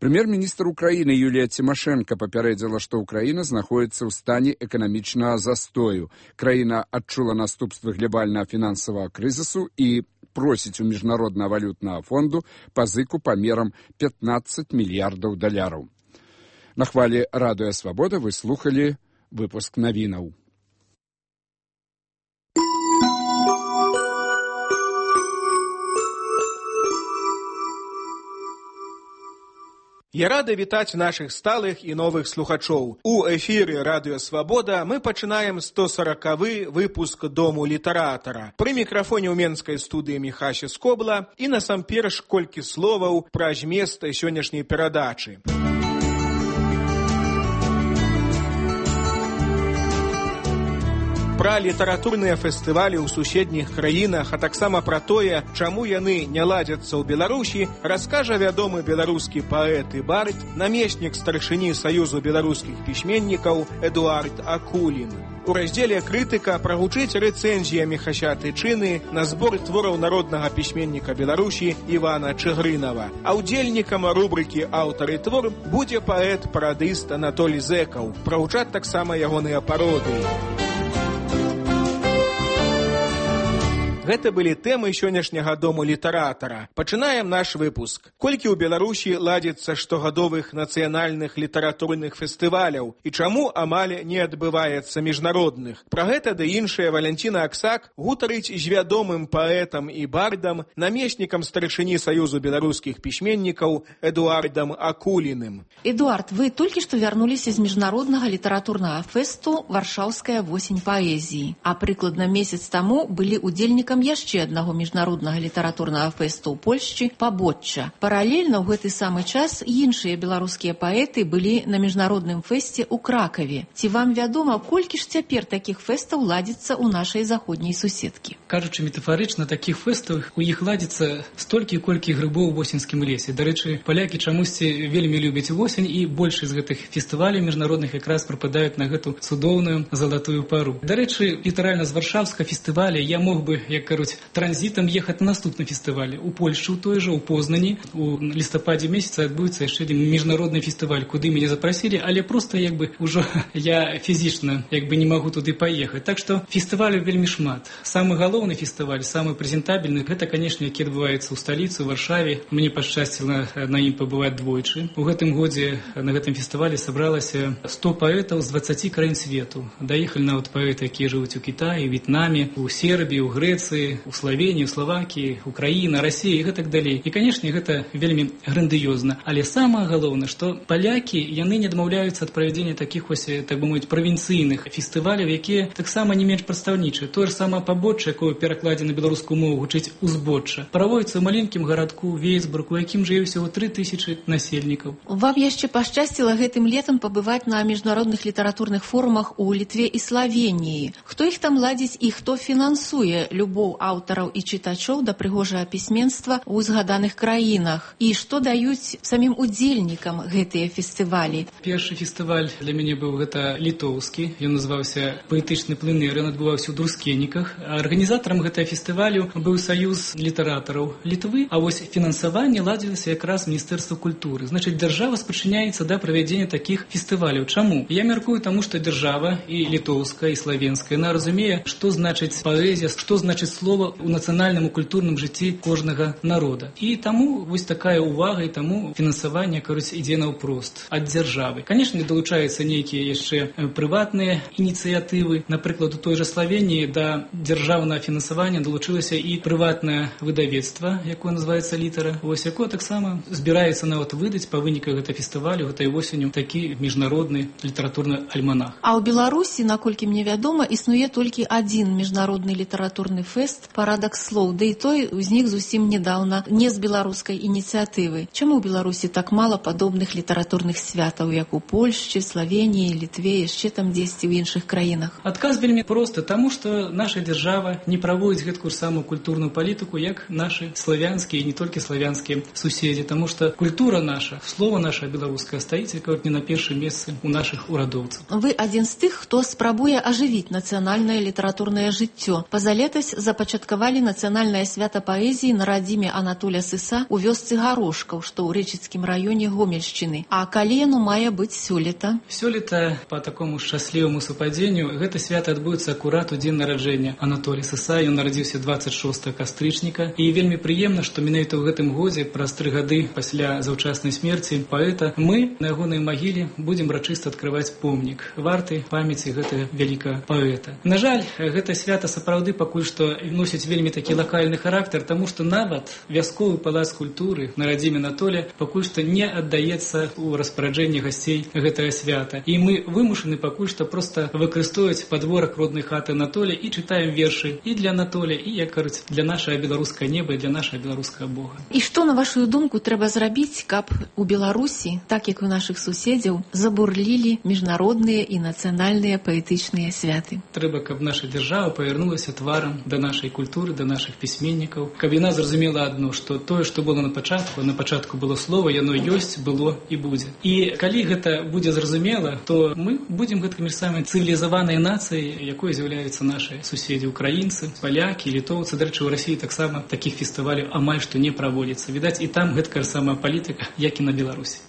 Прэм'ер-міністр Украіны Юлія Цімашэнка папярэдзіла, што Украіна знаходзіцца ў стане эканамічнага застою. Краіна адчула наступствы глобальнага фінансавага крызісу і просіць у міжнароднага валютнага фонду пазыку памерам $15 мільярдаў. На хвалі Радыё Свабода вы слухалі выпуск навінаў. Я рада вітаць нашых сталых і новых слухачоў. У эфіры Радыё Свабода мы пачынаем 140-ы выпуск Дому літаратара. Пры мікрафоне ў менскай студыі Міхася Скобла і насамперш колькі словаў пра змест сённяшняй перадачы. Пра літаратурныя фестывалі ў суседніх краінах, а таксама пра тое, чаму яны не ладзяцца ў Беларусі, раскажа вядомы беларускі паэт і бард, намеснік старшыні Саюзу беларускіх пісьменнікаў Эдуард Акулін. У раздзеле «Крытыка» прагучыць рэцэнзія Міхася Тычыны на збор твораў народнага пісьменніка Беларусі Івана Чыгрынава. А ўдзельнікам рубрыкі «Аўтары твор» будзе паэт-парадыст Анатоль Зэкаў. Прагучаць таксама ягоныя пародыі. Гэта былі тэмы сённяшняга дому літаратара. Пачынаем наш выпуск. Колькі ў Беларусі ладзіцца штогадовых нацыянальных літаратурных фестываляў і чаму амаль не адбываецца міжнародных? Пра гэта ды іншае Валянціна Аксак гутарыць з вядомым паэтам і бардам, намеснікам старшыні Саюзу беларускіх пісьменнікаў Эдуардам Акуліным. Эдуард, вы толькі што вярнуліся з міжнароднага літаратурнага фэсту «Варшаўская восень паэзіі», а прыкладна месяц таму былі удзельнікам яшчэ аднаго міжнароднага літаратурнага фэсту ў Польшчы «Пабочча». Паралельна ў гэты самы час іншыя беларускія паэты былі на міжнародным фэсце ў Кракаве. Ці вам вядома, колькі ж цяпер такіх фэстаў ладзіцца ў нашай заходняй суседкі? Кажучы метафарычна, такіх фэстаў у іх ладзіцца столькі, колькі грыбоў у восеньскім лесе. Дарэчы, палякі чамусьці вельмі любяць восень, і большасць з гэтых фестываляў міжнародных якраз прыпадаюць на гэту цудоўную залатую пару. Дарэчы, літаральна з Варшаўска фестываля я мог бы, як кажуць, транзітам ехаць на наступны фестываль. У Польшчы, у той жа, у Познані, у лістападзе месяца адбудзецца яшчэ адзін міжнародны фестываль, куды мяне запрасілі, але проста ўжо я фізічна не магу туды паехаць. Так што фестываляў вельмі шмат. Самы галоўны фестываль, самы прэзентабельны, гэта, канешне, які адбываецца ў сталіцы, у Варшаве. Мне пашчасціла на ім пабываць двойчы. У гэтым годзе на гэтым фестывале сабралася 100 паэтаў з 20 краін свету. Даехалі нават паэты, якія жывуць у Кітаі, В'етнаме, у Сербіі, у Грэцыі, у Славеніі, у Славакіі, Украіна, Расіі і гэтак далей. І, канешне, гэта вельмі грандыёзна. Але самае галоўнае, што палякі, яны не адмаўляюцца ад правядзення такіх так бы мовіць, правінцыйных фестываляў, якія таксама не менш прадстаўнічыя. Тое ж самае «Пабочча», якое перакладзе на беларускую мову гучыць «Узбочча», праводзіцца ў маленькім гарадку Вейсбург, у якім жыве ўсяго 3000 насельнікаў. Вам яшчэ пашчасціла гэтым летам пабываць на міжнародных літаратурных форумах у Літве і Славеніі. Хто іх там ладзіць і хто фінансуе любоў аўтараў і чытачоў да прыгожага пісьменства ў згаданых краінах? І што даюць самім удзельнікам гэтыя фестывалі? Першы фестываль для мяне быў гэта літоўскі. Ён называўся «Паэтычны пленэр», ён адбываўся ў Друскеніках. Арганізатарам гэтага фестывалю быў Саюз літаратараў Літвы, а вось фінансаванне ладзілася якраз Міністэрства культуры. Значыць, дзяржава спрычыняецца да правядзення такіх фестываляў. Чаму? Я мяркую таму, што дзяржава і літоўская, і славенская, яна разумее, што значыць паэзія, што значыць слова ў нацыянальным і культурным жыцці кожнага народа. І таму вось такая ўвага, і таму фінансаванне, кажуць, ідзе наўпрост ад дзяржавы. Канешне, далучаюцца нейкія яшчэ прыватныя ініцыятывы. Напрыклад, у той жа Славеніі да дзяржаўнага фінансавання далучылася і прыватнае выдавецтва, якое называецца «Літара», вось якое таксама збіраецца нават выдаць па выніках гэтага фестывалю гэтай восенню такі міжнародны літаратурны альманах. А ў Беларусі, наколькі мне вядома, існуе толькі адзін міжнародны літаратурны фэст «Парадак слоў», да і той узнік зусім нядаўна, не з беларускай ініцыятывы. Чаму ў Беларусі так мала падобных літаратурных святаў, як у Польшчы, Славеніі, Літве, яшчэ там дзесьці ў іншых краінах? Адказ вельмі просты, таму што наша дзяржава не праводзіць гэткую самую культурную палітыку, як нашы славянскія і не толькі славянскія суседзі, таму што культура наша, слова наша беларускае стаіць не на першым месцы у нашых урадоўцаў. Вы адзін з тых, хто спрабуе ажывіць нацыянальнае літаратурнае жыццё. Пазалетась запачаткавалі нацыянальнае свята паэзіі на радзіме Анатоля Сыса ў вёсцы Гарошкаў, што ў Рэчыцкім раёне Гомельшчыны. А калі яно мае быць сёлета? Сёлета, па такому шчасліваму супадзенню, гэта свята адбудзецца акурат у дзень нараджэння Анатолія Сыса. Ён нарадзіўся 26 кастрычніка. І вельмі прыемна, што менавіта ў гэтым годзе, праз 3 гады пасля заўчаснай смерці паэта, мы на ягонай магіле будзем рачыста адкрываць помнік варты памяці гэтага вялікага паэта. На жаль, гэта свята сапраўды пакуль што носіць вельмі такі лакальны характар, таму што нават вясковы палац культуры на радзіме Анатоля пакуль што не аддаецца ў распараджэнне гасцей гэтага свята. І мы вымушаны пакуль што проста выкарыстоўваць падворак роднай хаты Анатоля і чытаем вершы і для Анатоля, і, як кажуць, для нашага беларускага неба і для нашага беларускага Бога. І што, на вашу думку, трэба зрабіць, каб у Беларусі, так як у нашых суседзяў, забурлілі міжнародныя і нацыянальныя паэтычныя святы? Трэба, каб наша дзяржава павярнулася тварам да нашай культуры, да нашых пісьменнікаў, каб яна зразумела адно, што тое, што было на пачатку было слова, яно ёсць, было і будзе. І калі гэта будзе зразумела, то мы будзем гэткімі самай цывілізаванай нацыяй, якой з'яўляюцца нашы суседзі украінцы, палякі, літоўцы. Дарэчы, у Расіі таксама такіх фестываляў амаль што не праводзіцца. Відаць, і там гэткая самая палітыка, як і на Беларусі.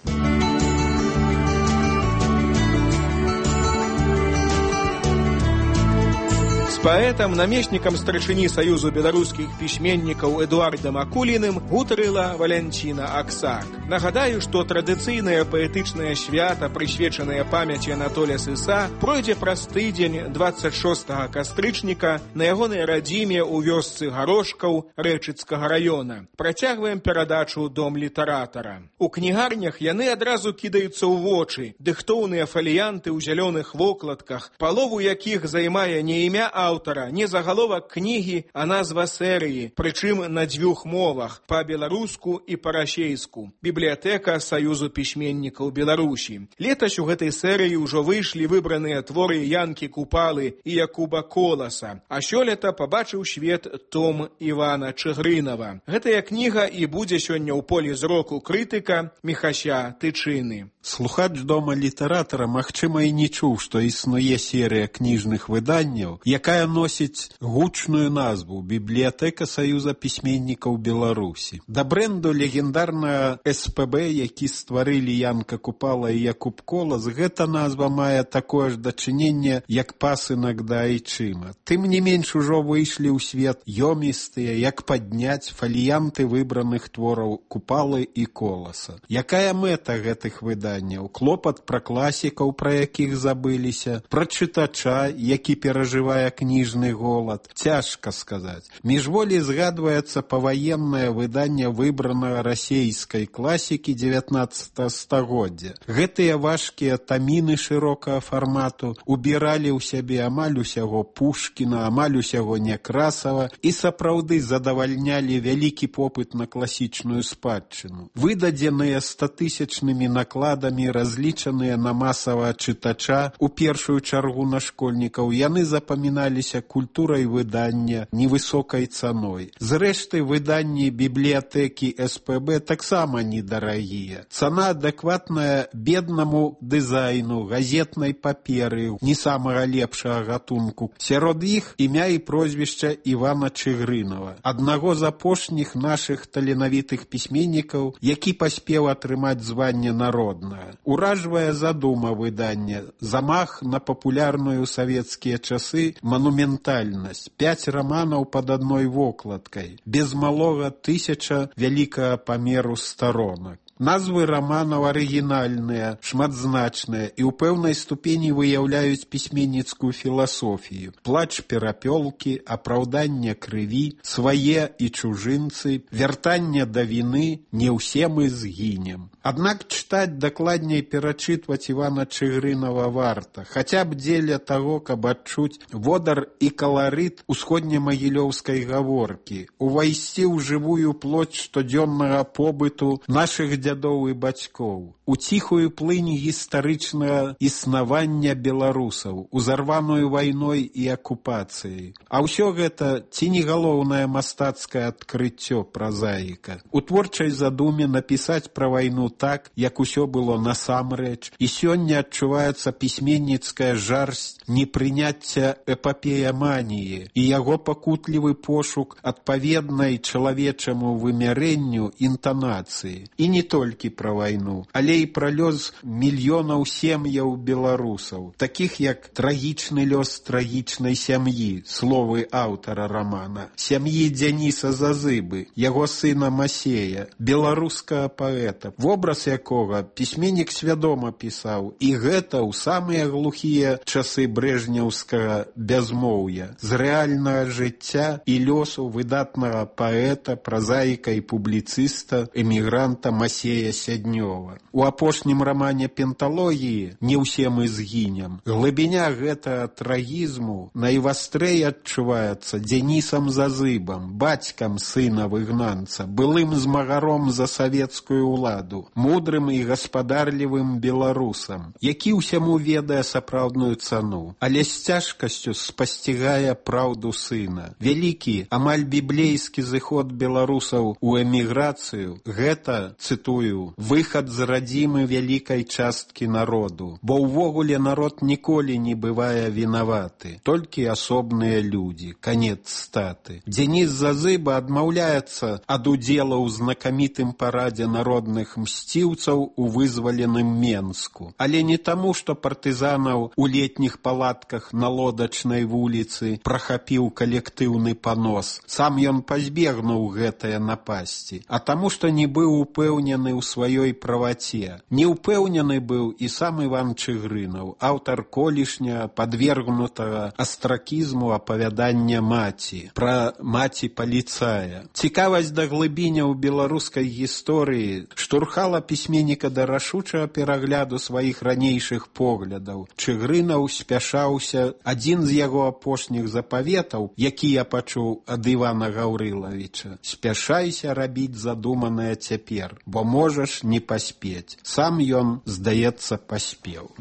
паэтам, намеснікам старшыні Саюзу беларускіх пісьменнікаў Эдуардам Акуліным гутарыла Валянціна Аксак. Нагадаю, што традыцыйнае паэтычнае свята, прысвечанае памяці Анатолія Сыса, пройдзе праз тыдзень 26 кастрычніка на ягонай радзіме ў вёсцы Гарошкаў Рэчыцкага раёна. Працягваем перадачу «Дом літаратара». У кнігарнях яны адразу кідаюцца ў вочы. Дыхтоўныя фаліянты ў зялёных вокладках, палову якіх займае не імя аўтара, не загаловак кнігі, а назва серыі, прычым на дзвюх мовах, па-беларуску і па-расейску. Бібліятэка Саюзу пісьменнікаў Беларусі. Летась у гэтай серыі ўжо выйшлі выбраныя творы Янкі Купалы і Якуба Коласа, а сёлета пабачыў свет том Івана Чыгрынава. Гэтая кніга і будзе сёння ў полі зроку крытыка Міхася Тычыны. Слухач Дома літаратара, магчыма, і не чуў, што існуе серыя кніжных выданняў, якая носіць гучную назву «Бібліятэка Саюза пісьменнікаў Беларусі». Да брэнду легендарнага СПБ, які стварылі Янка Купала і Якуб Колас, гэта назва мае такое ж дачыненне, як пасынак да айчыма. Тым не менш ужо выйшлі ў свет ёмістыя, як падняць фаліянты выбраных твораў Купалы і Коласа. Якая мэта гэтых выданняў? Клопат пра класікаў, пра якіх забыліся, пра чытача, які перажывае кніжны голад. Цяжка сказаць. Міжволі згадваецца паваеннае выданне выбранага расейскай класікі 19 стагоддзя. Гэтыя важкія таміны шырокага фармату убіралі ў сябе амаль усяго Пушкіна, амаль усяго Някрасава і сапраўды задавальнялі вялікі попыт на класічную спадчыну. Выдадзеныя 100-тысячнымі накладамі, разлічаныя на масавага чытача, у першую чаргу на школьнікаў, яны запаміналіся культурай выдання, невысокай цаной. Зрэшты, выданні бібліятэкі СПБ таксама недарагія. Цана адэкватная беднаму дызайну, газетнай паперы, не самага лепшага гатунку. Сярод іх імя і прозвішча Івана Чыгрынава, аднаго з апошніх нашых таленавітых пісьменнікаў, які паспеў атрымаць званне народнага. Уражвая задума выдання, замах на папулярную ў савецкія часы манументальнасць, 5 раманаў пад адной вокладкай, без малога 1000 вялікага памеру старонак. Назвы раманаў арыгінальныя, шматзначныя і ў пэўнай ступені выяўляюць пісьменніцкую філасофію. Плач перапёлкі, апраўданне крыві, свае і чужынцы, вяртанне да віны, не ўсе мы згінем. Аднак чытаць, дакладней перачытваць Івана Чыгрынава варта, хаця б дзеля таго, каб адчуць водар і каларыт усходнемагілёўскай гаворкі, увайсці ў жывую плоть штодзённага побыту нашых дзядоў і бацькоў, у ціхую плынь гістарычнага існавання беларусаў, узарваную вайной і акупацыяй. А ўсё гэта ці не галоўнае мастацкае адкрыццё празаіка. У творчай задуме напісаць пра вайну так, як усё было насамрэч, і сёння адчуваецца пісьменніцкая жарсць непрыняцця эпапеяманіі і яго пакутлівы пошук адпаведнай чалавечаму вымярэнню інтанацыі. І не толькі пра вайну, але і пра лёс мільёнаў сем'яў беларусаў, такіх як трагічны лёс трагічнай сям'і, словы аўтара рамана, сям'і Дзяніса Зазыбы, яго сына Масея, беларускага паэта, вобраз якога пісьменнік свядома пісаў, і гэта ў самыя глухія часы брэжнеўскага бязмоўя, з рэальнага жыцця і лёсу выдатнага паэта, празаіка і публіцыста, эмігранта Масея Сяднёва. У апошнім рамане «Пенталогіі» «Не ўсе мы згінем» глыбіня гэтага трагізму найвастрэй адчуваецца Дзянісам Зазыбам, бацькам сына выгнанца, былым змагаром за савецкую ўладу, мудрым і гаспадарлівым беларусам, які ўсяму ведае сапраўдную цану, але з цяжкасцю спасцігае праўду сына. Вялікі, амаль біблейскі зыход беларусаў у эміграцыю – гэта, цытую цытую, выхад з радзімы вялікай часткі народу, бо ўвогуле народ ніколі не бывае вінаваты, толькі асобныя людзі, канец статы. Дзеніс Зазыба адмаўляецца ад удзела ў знакамітым парадзе народных мсціўцаў у вызваленым Менску. Але не таму, што партызанаў у летніх палатках на Лодачнай вуліцы прахапіў калектыўны панос. Сам ён пазбегнуў гэтае напасці, а таму, што не быў упэўнены ў сваёй праваце. Не ўпэўнены быў і сам Іван Чыгрынаў, аўтар колішня падвергнутага астракізму апавядання маці, пра маці паліцая. Цікавасць да глыбіняў беларускай гісторыі штурхала пісьменніка да рашучага перагляду сваіх ранейшых поглядаў. Чыгрынаў спяшаўся. Адзін з яго апошніх запаветаў, які я пачуў ад Івана Гаўрылавіча: спяшайся рабіць задуманае цяпер, бо можаш не паспець. Сам ён, здаецца, паспеў.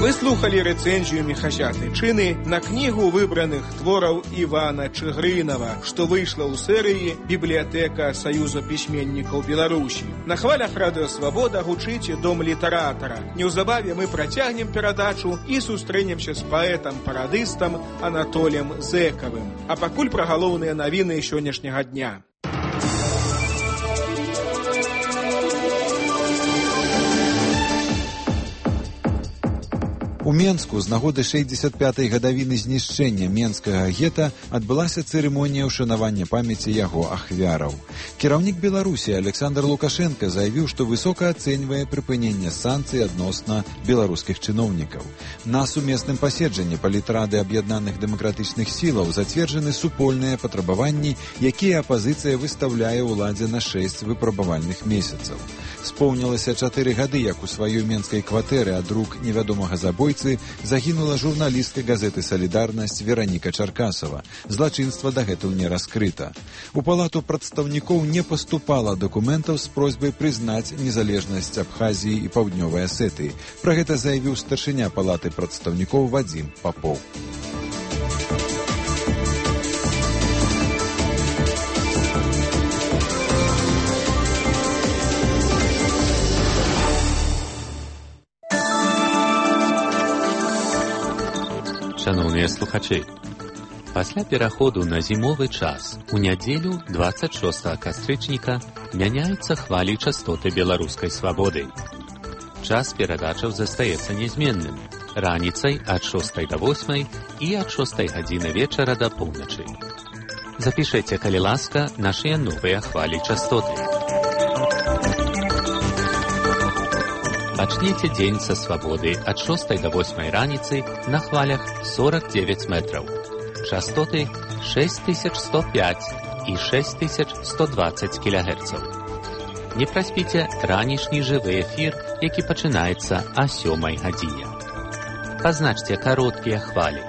Вы слухали рэцэнзію Міхася Тычыны на кнігу выбраных твораў Івана Чыгрынава, што выйшла ў серыі «Бібліятэка Саюза пісьменнікаў Беларусі». На хвалях Радыё Свабода гучыць Дом літаратара. Неўзабаве мы працягнем перадачу і сустрэнемся з паэтам-парадыстам Анатоліем Зэкавым. А пакуль пра галоўныя навіны сённяшняга дня. У Менску з нагоды 65-й гадавіны знішчэння менскага гета адбылася цырымонія ўшанавання памяці яго ахвяраў. Кіраўнік Беларусі Александр Лукашенко заявіў, што высока ацэньвае прыпыненне санкцый адносна беларускіх чыноўнікаў. На сумесным паседжанні палітрады аб'яднаных дэмакратычных сілаў зацверджаны супольныя патрабаванні, якія апазіцыя выстаўляе ўладзе на 6 выпрабавальных месяцаў. Споўнілася 4 гады, як у сваёй менскай кватэры ад рук невядомага забойцы загінула журналістка газеты «Салідарнасць» Вераніка Чаркасава. Злачынства дагэтуль не раскрыта. У палату прадстаўнікоў не паступала дакументаў з просьбай прызнаць незалежнасць Абхазіі і Паўднёвай Асетыі. Пра гэта заявіў старшыня палаты прадстаўнікоў Вадзім Папоў. Шановныя слухачы, пасля пераходу на зімовы час у нядзелю 26 кастрычніка мяняюцца хвалі частоты беларускай свабоды. Час перадачаў застаецца нязменным, раніцай ад 6 до 8 і ад 6 гадзіны вечара да поўначы. Запішэце, калі ласка, нашыя новыя хвалі частоты. Пачніце дзень са свабоды ад 6 до 8 раніцы на хвалях 49 метраў. Частоты 6105 і 6120 кГц. Не праспіце ранішні жывы эфір, які пачынаецца о 7 гадзіне. Пазначце кароткія хвалі.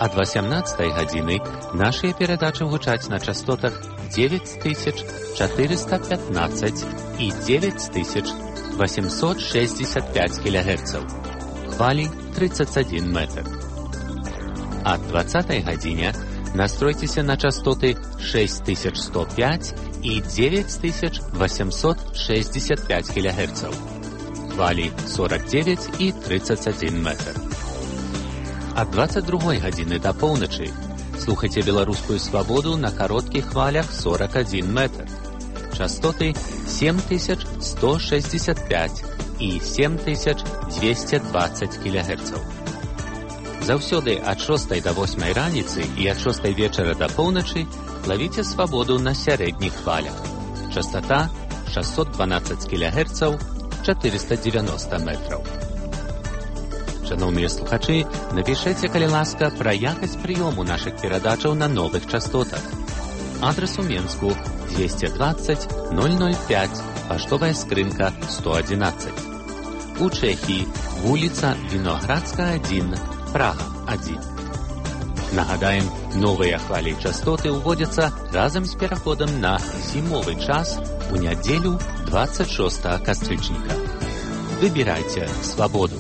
Ад 18 гадзіны нашыя перадачы гучаць на частотах 9415 і 9865 кГц. Хвалі 31 метр. Ад 20 гадзіне настройцеся на частоты 6105 і 9865 кГц. Хвалі 49 і 31 метр. Ад 22 гадзіны да поўначы слухайце беларускую свабоду на кароткіх хвалях 41 метр. Частоты 7165 і 7220 кГц. Заўсёды ад 6 до 8 раніцы і ад 6 вечара да поўначы лавіце свабоду на сярэдніх хвалях. Частота 612 кГц, 490 метраў. Шановныя слухачы, напішэце, калі ласка, пра якасць прыёму нашых перадачаў на новых частотах. Адрес у Менску 220 005, паштовая скрынка 111. У Чэхіі вуліца Віноградская 1, Прага 1. Нагадаем, новыя хвалі частоты ўводзяцца разам з пераходам на зімовы час у нядзелю 26 кастрычніка. Выбірайце свабоду.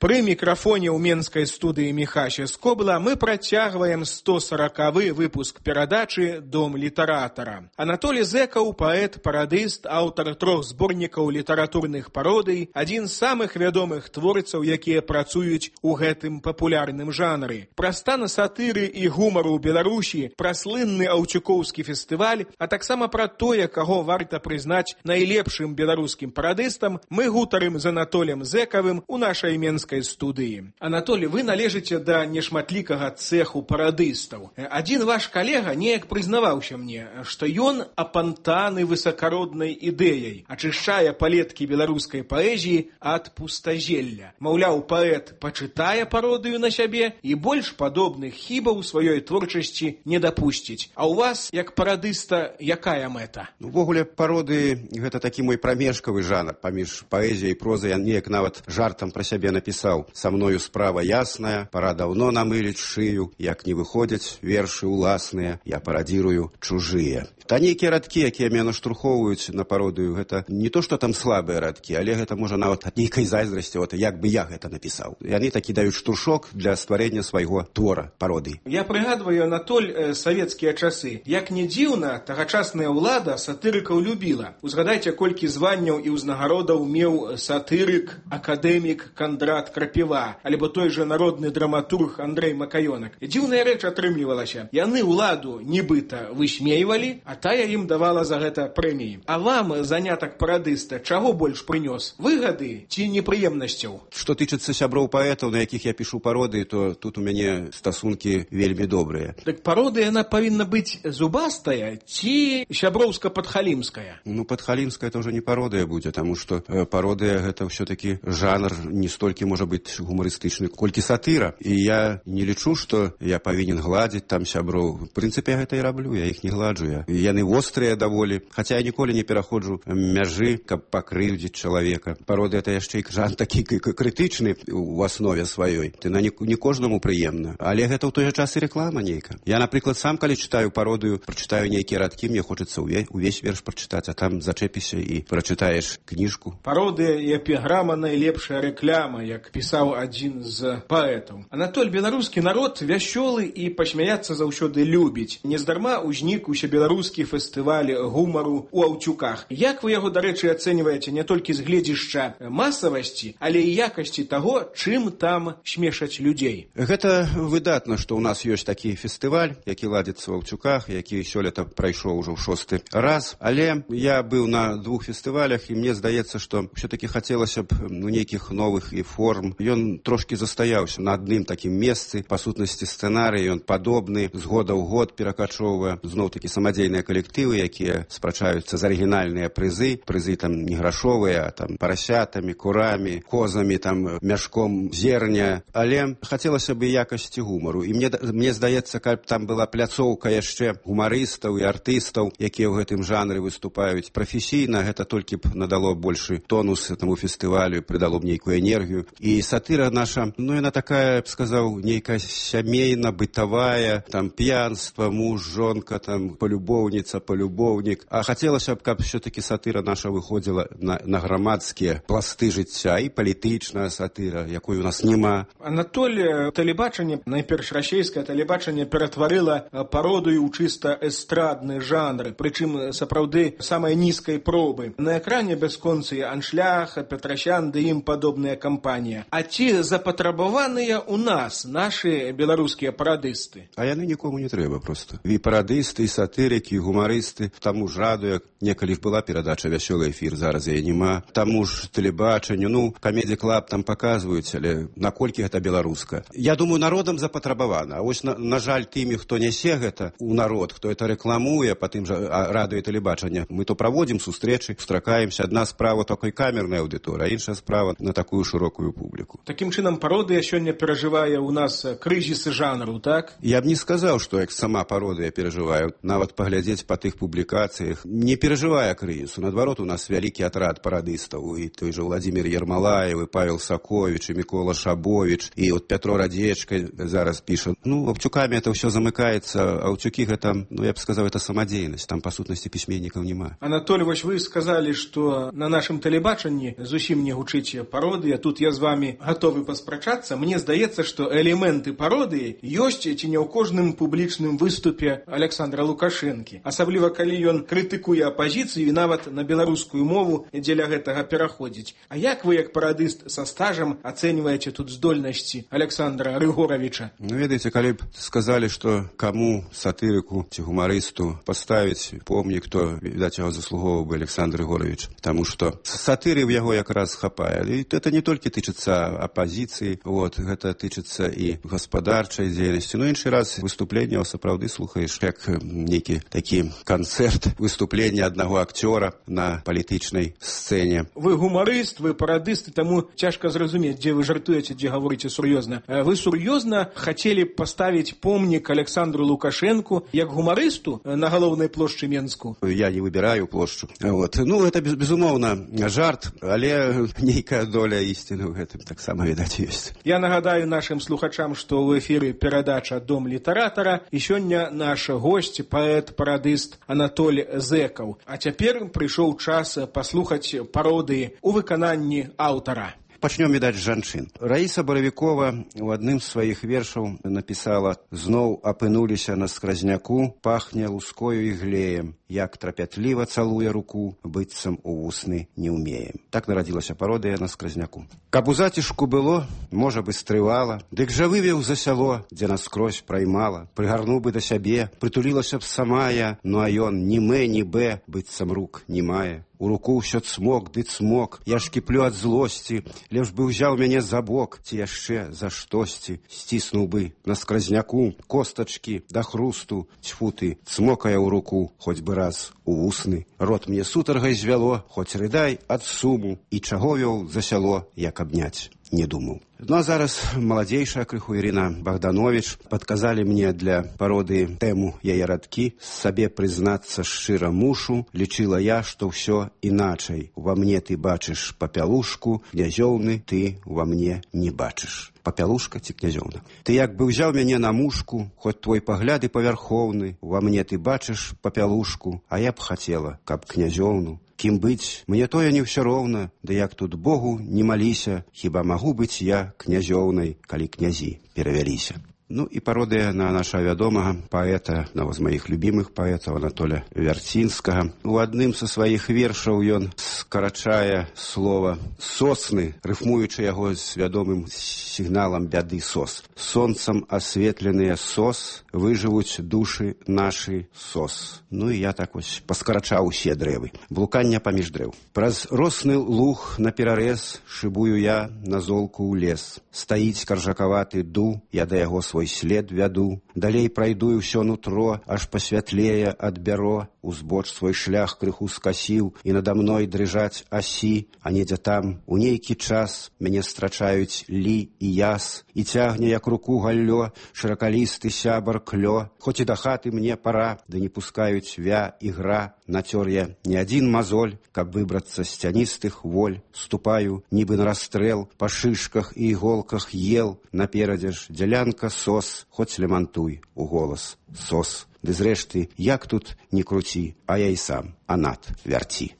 Пры мікрафоне ў менскай студыі Міхася Скобла мы працягваем 140-й выпуск перадачы «Дом літаратара». Анатолій Зэкаў, паэт, парадыст, аўтар 3 зборнікаў літаратурных пародый, адзін з самых вядомых творцаў, якія працуюць у гэтым папулярным жанры. Пра стан сатыры і гумару ў Беларусі, пра слынны аўчукоўскі фестываль, а таксама пра тое, каго варта прызнаць найлепшым беларускім парадыстам, мы гутарым з Анатолем Зэкавым у нашай менскай студыі. Анатолий, вы належыце да нешматлікага цэху парадыстаў. Адзін ваш калега неяк прызнаваўся мне, што ён апантаны высакароднай ідэяй, ачышчае палеткі беларускай паэзіі ад пустазелля. Маўляў, паэт пачытае пародыю на сябе і больш падобных хібаў сваёй творчасці не дапусціць. А ў вас, як парадыста, якая мэта? Увогуле, пародыі — гэта такі мой прамежкавы жанр паміж паэзіяй і прозай. Я неяк нават жартам пра сябе напісаў: «Са мною справа ясная, пора даўно намыліць шыю, як не выходзяць вершы ўласныя, я парадзірую чужыя». Та нейкія радкі, якія мяне наштурхоўваюць на пародыю, гэта не то, што там слабыя радкі, але гэта можа нават ад нейкай зайздрасці, як бы я гэта напісаў. Яны такі даюць штуршок для стварэння свайго твора, пародыі. Я прыгадваю, Анатоль, савецкія часы. Як не дзіўна, тагачасная ўлада сатырыкаў любіла. Узгадайце, колькі званняў і ўзнагародаў меў сатырык, акадэмік Кандрат Крапіва, альбо той же народны драматург Андрэй Макаёнак. Дзіўная рэч атрымлівалася. Яны ўладу нібыта высмейвалі, а тая ім давала за гэта прэміі. А вам занятак парадыста чаго больш прынёс? Выгады ці непрыемнасцяў? Што тычыцца сяброў паэтаў, на якіх я пішу пародыі, то тут у мяне стасункі вельмі добрыя. Так пародыя, яна павінна быць зубастая ці сяброўска-падхалімская? Падхалімская — это ўжо не пародыя будзе, таму што пародыя — гэта ўсё-такі жанр не столькі можа быць гумарыстычны, колькі сатыра. І я не лічу, што я павінен гладзіць там сяброў. В прынцыпе, я гэта і раблю, я іх не гладжу. Яны вострыя даволі, хаця я ніколі не пераходжу мяжы, каб пакрыўдзіць чалавека. Пародыя — это яшчэ і жанр такі крытычны у аснове сваёй. Яна не кожнаму прыемна. Але гэта ў той жа час і рэклама нейка. Я, напрыклад, сам, калі чытаю пародыю, прачытаю нейкія радкі, мне хочацца увесь верш прачытаць, а там зачэпіся і прачытаеш кніжку. Пародыя і эпіграма — найлепшая рэкляма, як пісаў адзін з паэтаў. Анатоль, беларускі народ вясёлы і пасмяяцца заўсёды любіць. Нездарма ўзнік усе беларускі фестываль гумару ў Аўчуках. Як вы яго, дарэчы, ацэньваеце не толькі з гледзішча масавасці, але і якасці таго, чым там смешаць людзей? Гэта выдатна, што ў нас ёсць такі фестываль, які ладзіцца ў Аўчуках, які сёлета прайшоў ужо ў 6-й раз. Але я быў на 2 фестывалях, і мне здаецца, што ўсё-такі хацелася б нейкіх новых і форм. Ён трошкі застаяўся на адным такім месцы. Па сутнасці сцэнарый ён падобны, з года ў год перакачоўвае зноў-такі самадзейныя калектывы, якія спрачаюцца з арыгінальныя прызы там не грашовыя, а там парасятамі, курамі, козамі, там мяшком зерня. Але хацелася бы якасці гумару. І мне здаецца, каб там была пляцоўка яшчэ гумарыстаў і артыстаў, якія ў гэтым жанры выступаюць прафесійна, гэта толькі б надало большы тонус этому фестывалю, придало б нейкую энергію. І сатыра наша, яна такая, я б сказаў, нейкая сямейна-бытавая, там п'янства, муж, жонка, там полюбоўніца, полюбоўнік. А хацелася б, каб все-таки сатыра наша выходзіла на грамадскія пласты жыцця, і палітычная сатыра, якой у нас няма. Анатоль, тэлебачанне, найперш расійскае тэлебачанне, ператварыла пародыю ў чыста эстрадны жанр, прычым сапраўды самай нізкай пробы. На экране бясконцы Аншлях, Петрасян ды ім падобная кампанія. А ці запатрабаваныя ў нас нашы беларускія парадысты? А яны нікому не трэба проста. І парадысты, і сатырыкі, і гумарысты. Таму ж радыё, некалі ж была перадача «Вясёлы эфір», зараз яе няма. Таму ж тэлебачанню, Камеді Клаб там паказваюць, але наколькі гэта беларуска. Я думаю, народам запатрабавана. А вось, на жаль, тымі, хто нясе гэта ў народ, хто это рэкламуе па тым жа радыё і тэлебачання, мы то праводзім сустрэчы, сустракаемся. Адна справа такой камернай аўдыторыі, а іншая справа на такую шырокую публіку. Такім чынам, пародыя сёння перажывае ў нас крызіс жанру, так? Я б не сказаў, што як сама пародыя перажываю. Нават паглядзець ходзяць па тых публікацыях, не перажывае крызісу. Наадварот, у нас вялікі атрад парадыстаў, і той же Владимир Ермолаев, і Павел Сакович, і Микола Шабович, і вот Петро Радзечка зараз піша. Ну, Аўчукамі это ўсё замыкаецца, а Аўчукі гэта, ну, я б сказаў, это самадзейнасць, там, па сутнасці, пісьменнікаў няма. Анатолий, вось вы сказалі, што на нашым тэлебачанні зусім не гучыць пародыя, тут я з вами гатовы паспрачацца. Мне здаецца, што элементы пародыі ёсць ці не ў кожным публічным выступе Александра Лукашэнкі. Асабліва, калі ён крытыкуе апазіцыю і нават на беларускую мову дзеля гэтага пераходзіць. А як вы, як парадыст са стажам, ацэньваеце тут здольнасці Александра Рыгоровича? Ну, ведаеце, калі б сказалі, што каму сатырыку ці гумарысту паставіць помнік, то, відаць, яго заслугоўваў бы Александр Рыгорович, таму што сатыры ў яго якраз хапае. І это не толькі тычыцца апазіцыі, вот, гэта тычыцца і гаспадарчай дзейнасці. Ну, іншы раз выступленне сапраўды слухаеш, як нейкі такі канцэрт выступлення аднаго акцёра на палітычнай сцэне. Вы гумарыст, вы парадыст, таму цяжка зразумець, дзе вы жартуеце, дзе гаворыце сур'ёзна. Вы сур'ёзна хацелі паставіць помнік Александру Лукашэнку як гумарысту на галоўнай плошчы Менску? Я не выбіраю плошчу. Вот. Ну, это, безумоўна, жарт, але нейкая доля ісціны ў гэтым таксама, відаць, ёсць. Я нагадаю нашим слухачам, што ў эфіры перадача «Дом літаратара», і сёння наш госць, паэт-парадыст Анатоль Зэкаў. А цяпер прыйшоў час паслухаць пародыі ў выкананні аўтара. Пачнём, відаць, з жанчын. Раіса Баравікова у адным з сваіх вершаў напісала: «Зноў апынуліся на скразняку, пахне лускою і глеем, як трапятліва цалуе руку, быццам у вусны не ўмеем». Так нарадзілася пародыя на скразняку. Каб у зацішку было, можа бы стрывала, дык жа вывеў за сяло, дзе наскрозь праймала, прыгарнуў бы да сябе, прытулілася б сама я, ну а ён ні мэ, ні бэ, быццам рук не мае. У руку ўсё цмок ды цмок, я ж кіплю ад злосці, лепш бы ўзяў мяне за бок, ці яшчэ за штосьці, сціснуў бы на скразняку костачкі да хрусту, цьфу ты, цмокае ў руку, хоць бы раз у вусны. Рот мне сутаргай звяло, хоць рыдай ад суму, і чаго вёў за сяло, як абняць не думаў. Ну а зараз маладзейшая крыху Ірына Богданович падказалі мне для пародыі тэму яе радкі. Сабе прызнацца шчыра мушу, лічыла я, што ўсё іначай. Ува мне ты бачыш папялушку, князёўны ты ува мне не бачыш. Папялушка ці князёўна. Ты як бы ўзяў мяне на мушку, хоць твой пагляд і павярхоўны, ува мне ты бачыш папялушку, а я б хацела, каб князёўну. Кім быць, мне тое не ўсё роўна, да як тут Богу не маліся, хіба магу быць я князёўнай, калі князі перавяліся. Ну і пародыя на нашага вядомага паэта, аднаго з маіх любімых паэтаў, Анатоля Вярцінскага. У адным са сваіх вершаў ён скарачае слова «сосны», рыфмуючы яго з вядомым сігналам бяды «сос». «Сонцам асветленыя сос, выжывуць душы нашы сос». Ну і я так вось паскарачаў усе дрэвы. Блукання паміж дрэў. Праз росны луг наперарэз шыбую я на золку ў лес. Стаіць каржакаваты ду, я да яго свой след вяду. Далей прайду і ўсё нутро, аж пасвятлее ад бяро. Узбоч свой шлях крыху скасіў, і надо мной дрыжаць асі, а недзе там, у нейкі час, мяне страчаюць лі і яс, і цягне, як руку галлё, шыракалісты сябар клё. Хоць і да хаты мне пара, ды не пускаюць вя і гра. Нацёр я не адзін мазоль, каб выбрацца з цяністых воль. Ступаю, нібы на расстрэл, па шышках і іголках ел. Наперадзе ж дзялянка сос, хоць лямантуй у голас сос. Ды зрэшты, як тут не круці, а я і сам анат вярці.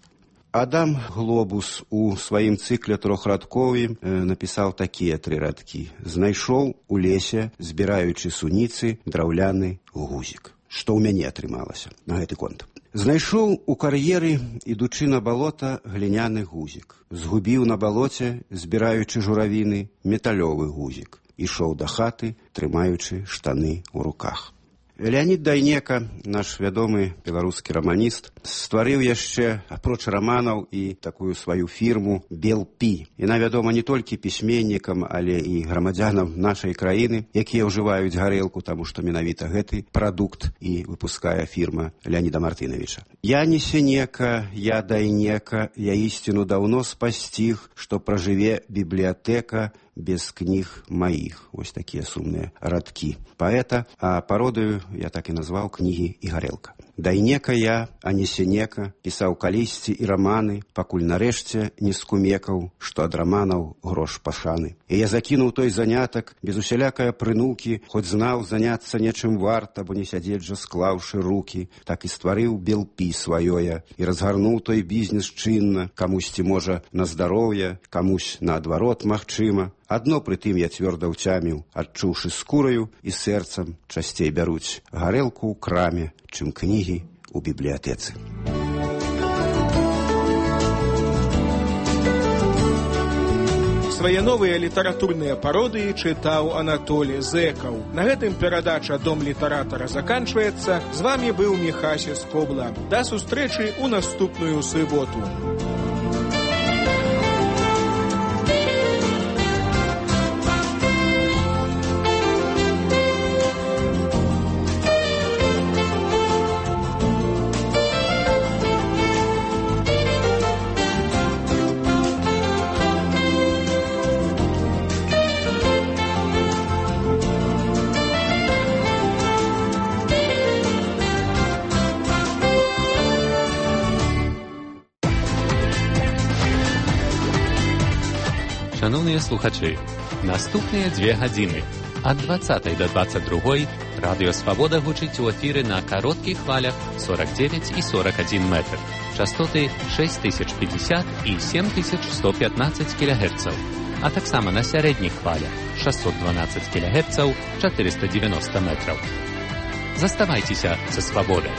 Адам Глобус у сваім цыкле трохрадкові напісаў такія 3 радкі. Знайшоў у лесе, збіраючы суніцы, драўляны гузік. Што ў мяне атрымалася на гэты конт. Знайшоў у кар'еры, ідучы на балота, гліняны гузік. Згубіў на балоце, збіраючы журавіны, металёвы гузік. Ішоў да хаты, трымаючы штаны ў руках. Леонід Дайнека, наш вядомы беларускі раманіст, стварыў яшчэ, апроч раманаў, і такую сваю фірму «Белпі». Яна вядома не толькі пісьменнікам, але і грамадзянам нашай краіны, якія ўжываюць гарэлку, таму што менавіта гэты прадукт і выпускае фірма Леоніда Мартынавіча. «Я не сенека, я Дайнека, я ісціну даўно спасціг, што пражыве бібліятэка без кніг маіх». Вось такія сумныя радкі паэта, а пародыю я так і назваў кнігі і гарэлка. Дайнека я, а не сенека, пісаў калісьці і раманы, пакуль нарэшце не скумекаў, што ад раманаў грош пашаны. І я закінуў той занятак без усялякае прынукі, хоць знаў заняцца нечым варта, бо не сядзець жа склаўшы рукі, так і стварыў белпі сваёе і разгарнуў той бізнес чынна, камусьці можа на здароўе, камусь наадварот магчыма. Адно пры тым я цвёрда ўцяміў, адчуўшы скураю і сэрцам часцей бяруць гарэлку ў краме, чым кнігі ў бібліятэцы. Свае новыя літаратурныя пародыі чытаў Анатолій Зэкаў. На гэтым перадача «Дом літаратара» заканчваецца. З вамі быў Міхася Скобла. Да сустрэчы ў наступную суботу. Шановныя слухачы, наступныя 2 гадзіны ад 20 до 22 радыё Свабода гучыць у эфіры на кароткіх хвалях 49 і 41 метр, частоты 6050 і 7115 кГц, а таксама на сярэдніх хвалях 612 кГц, 490 метраў. Заставайцеся са Свабодай.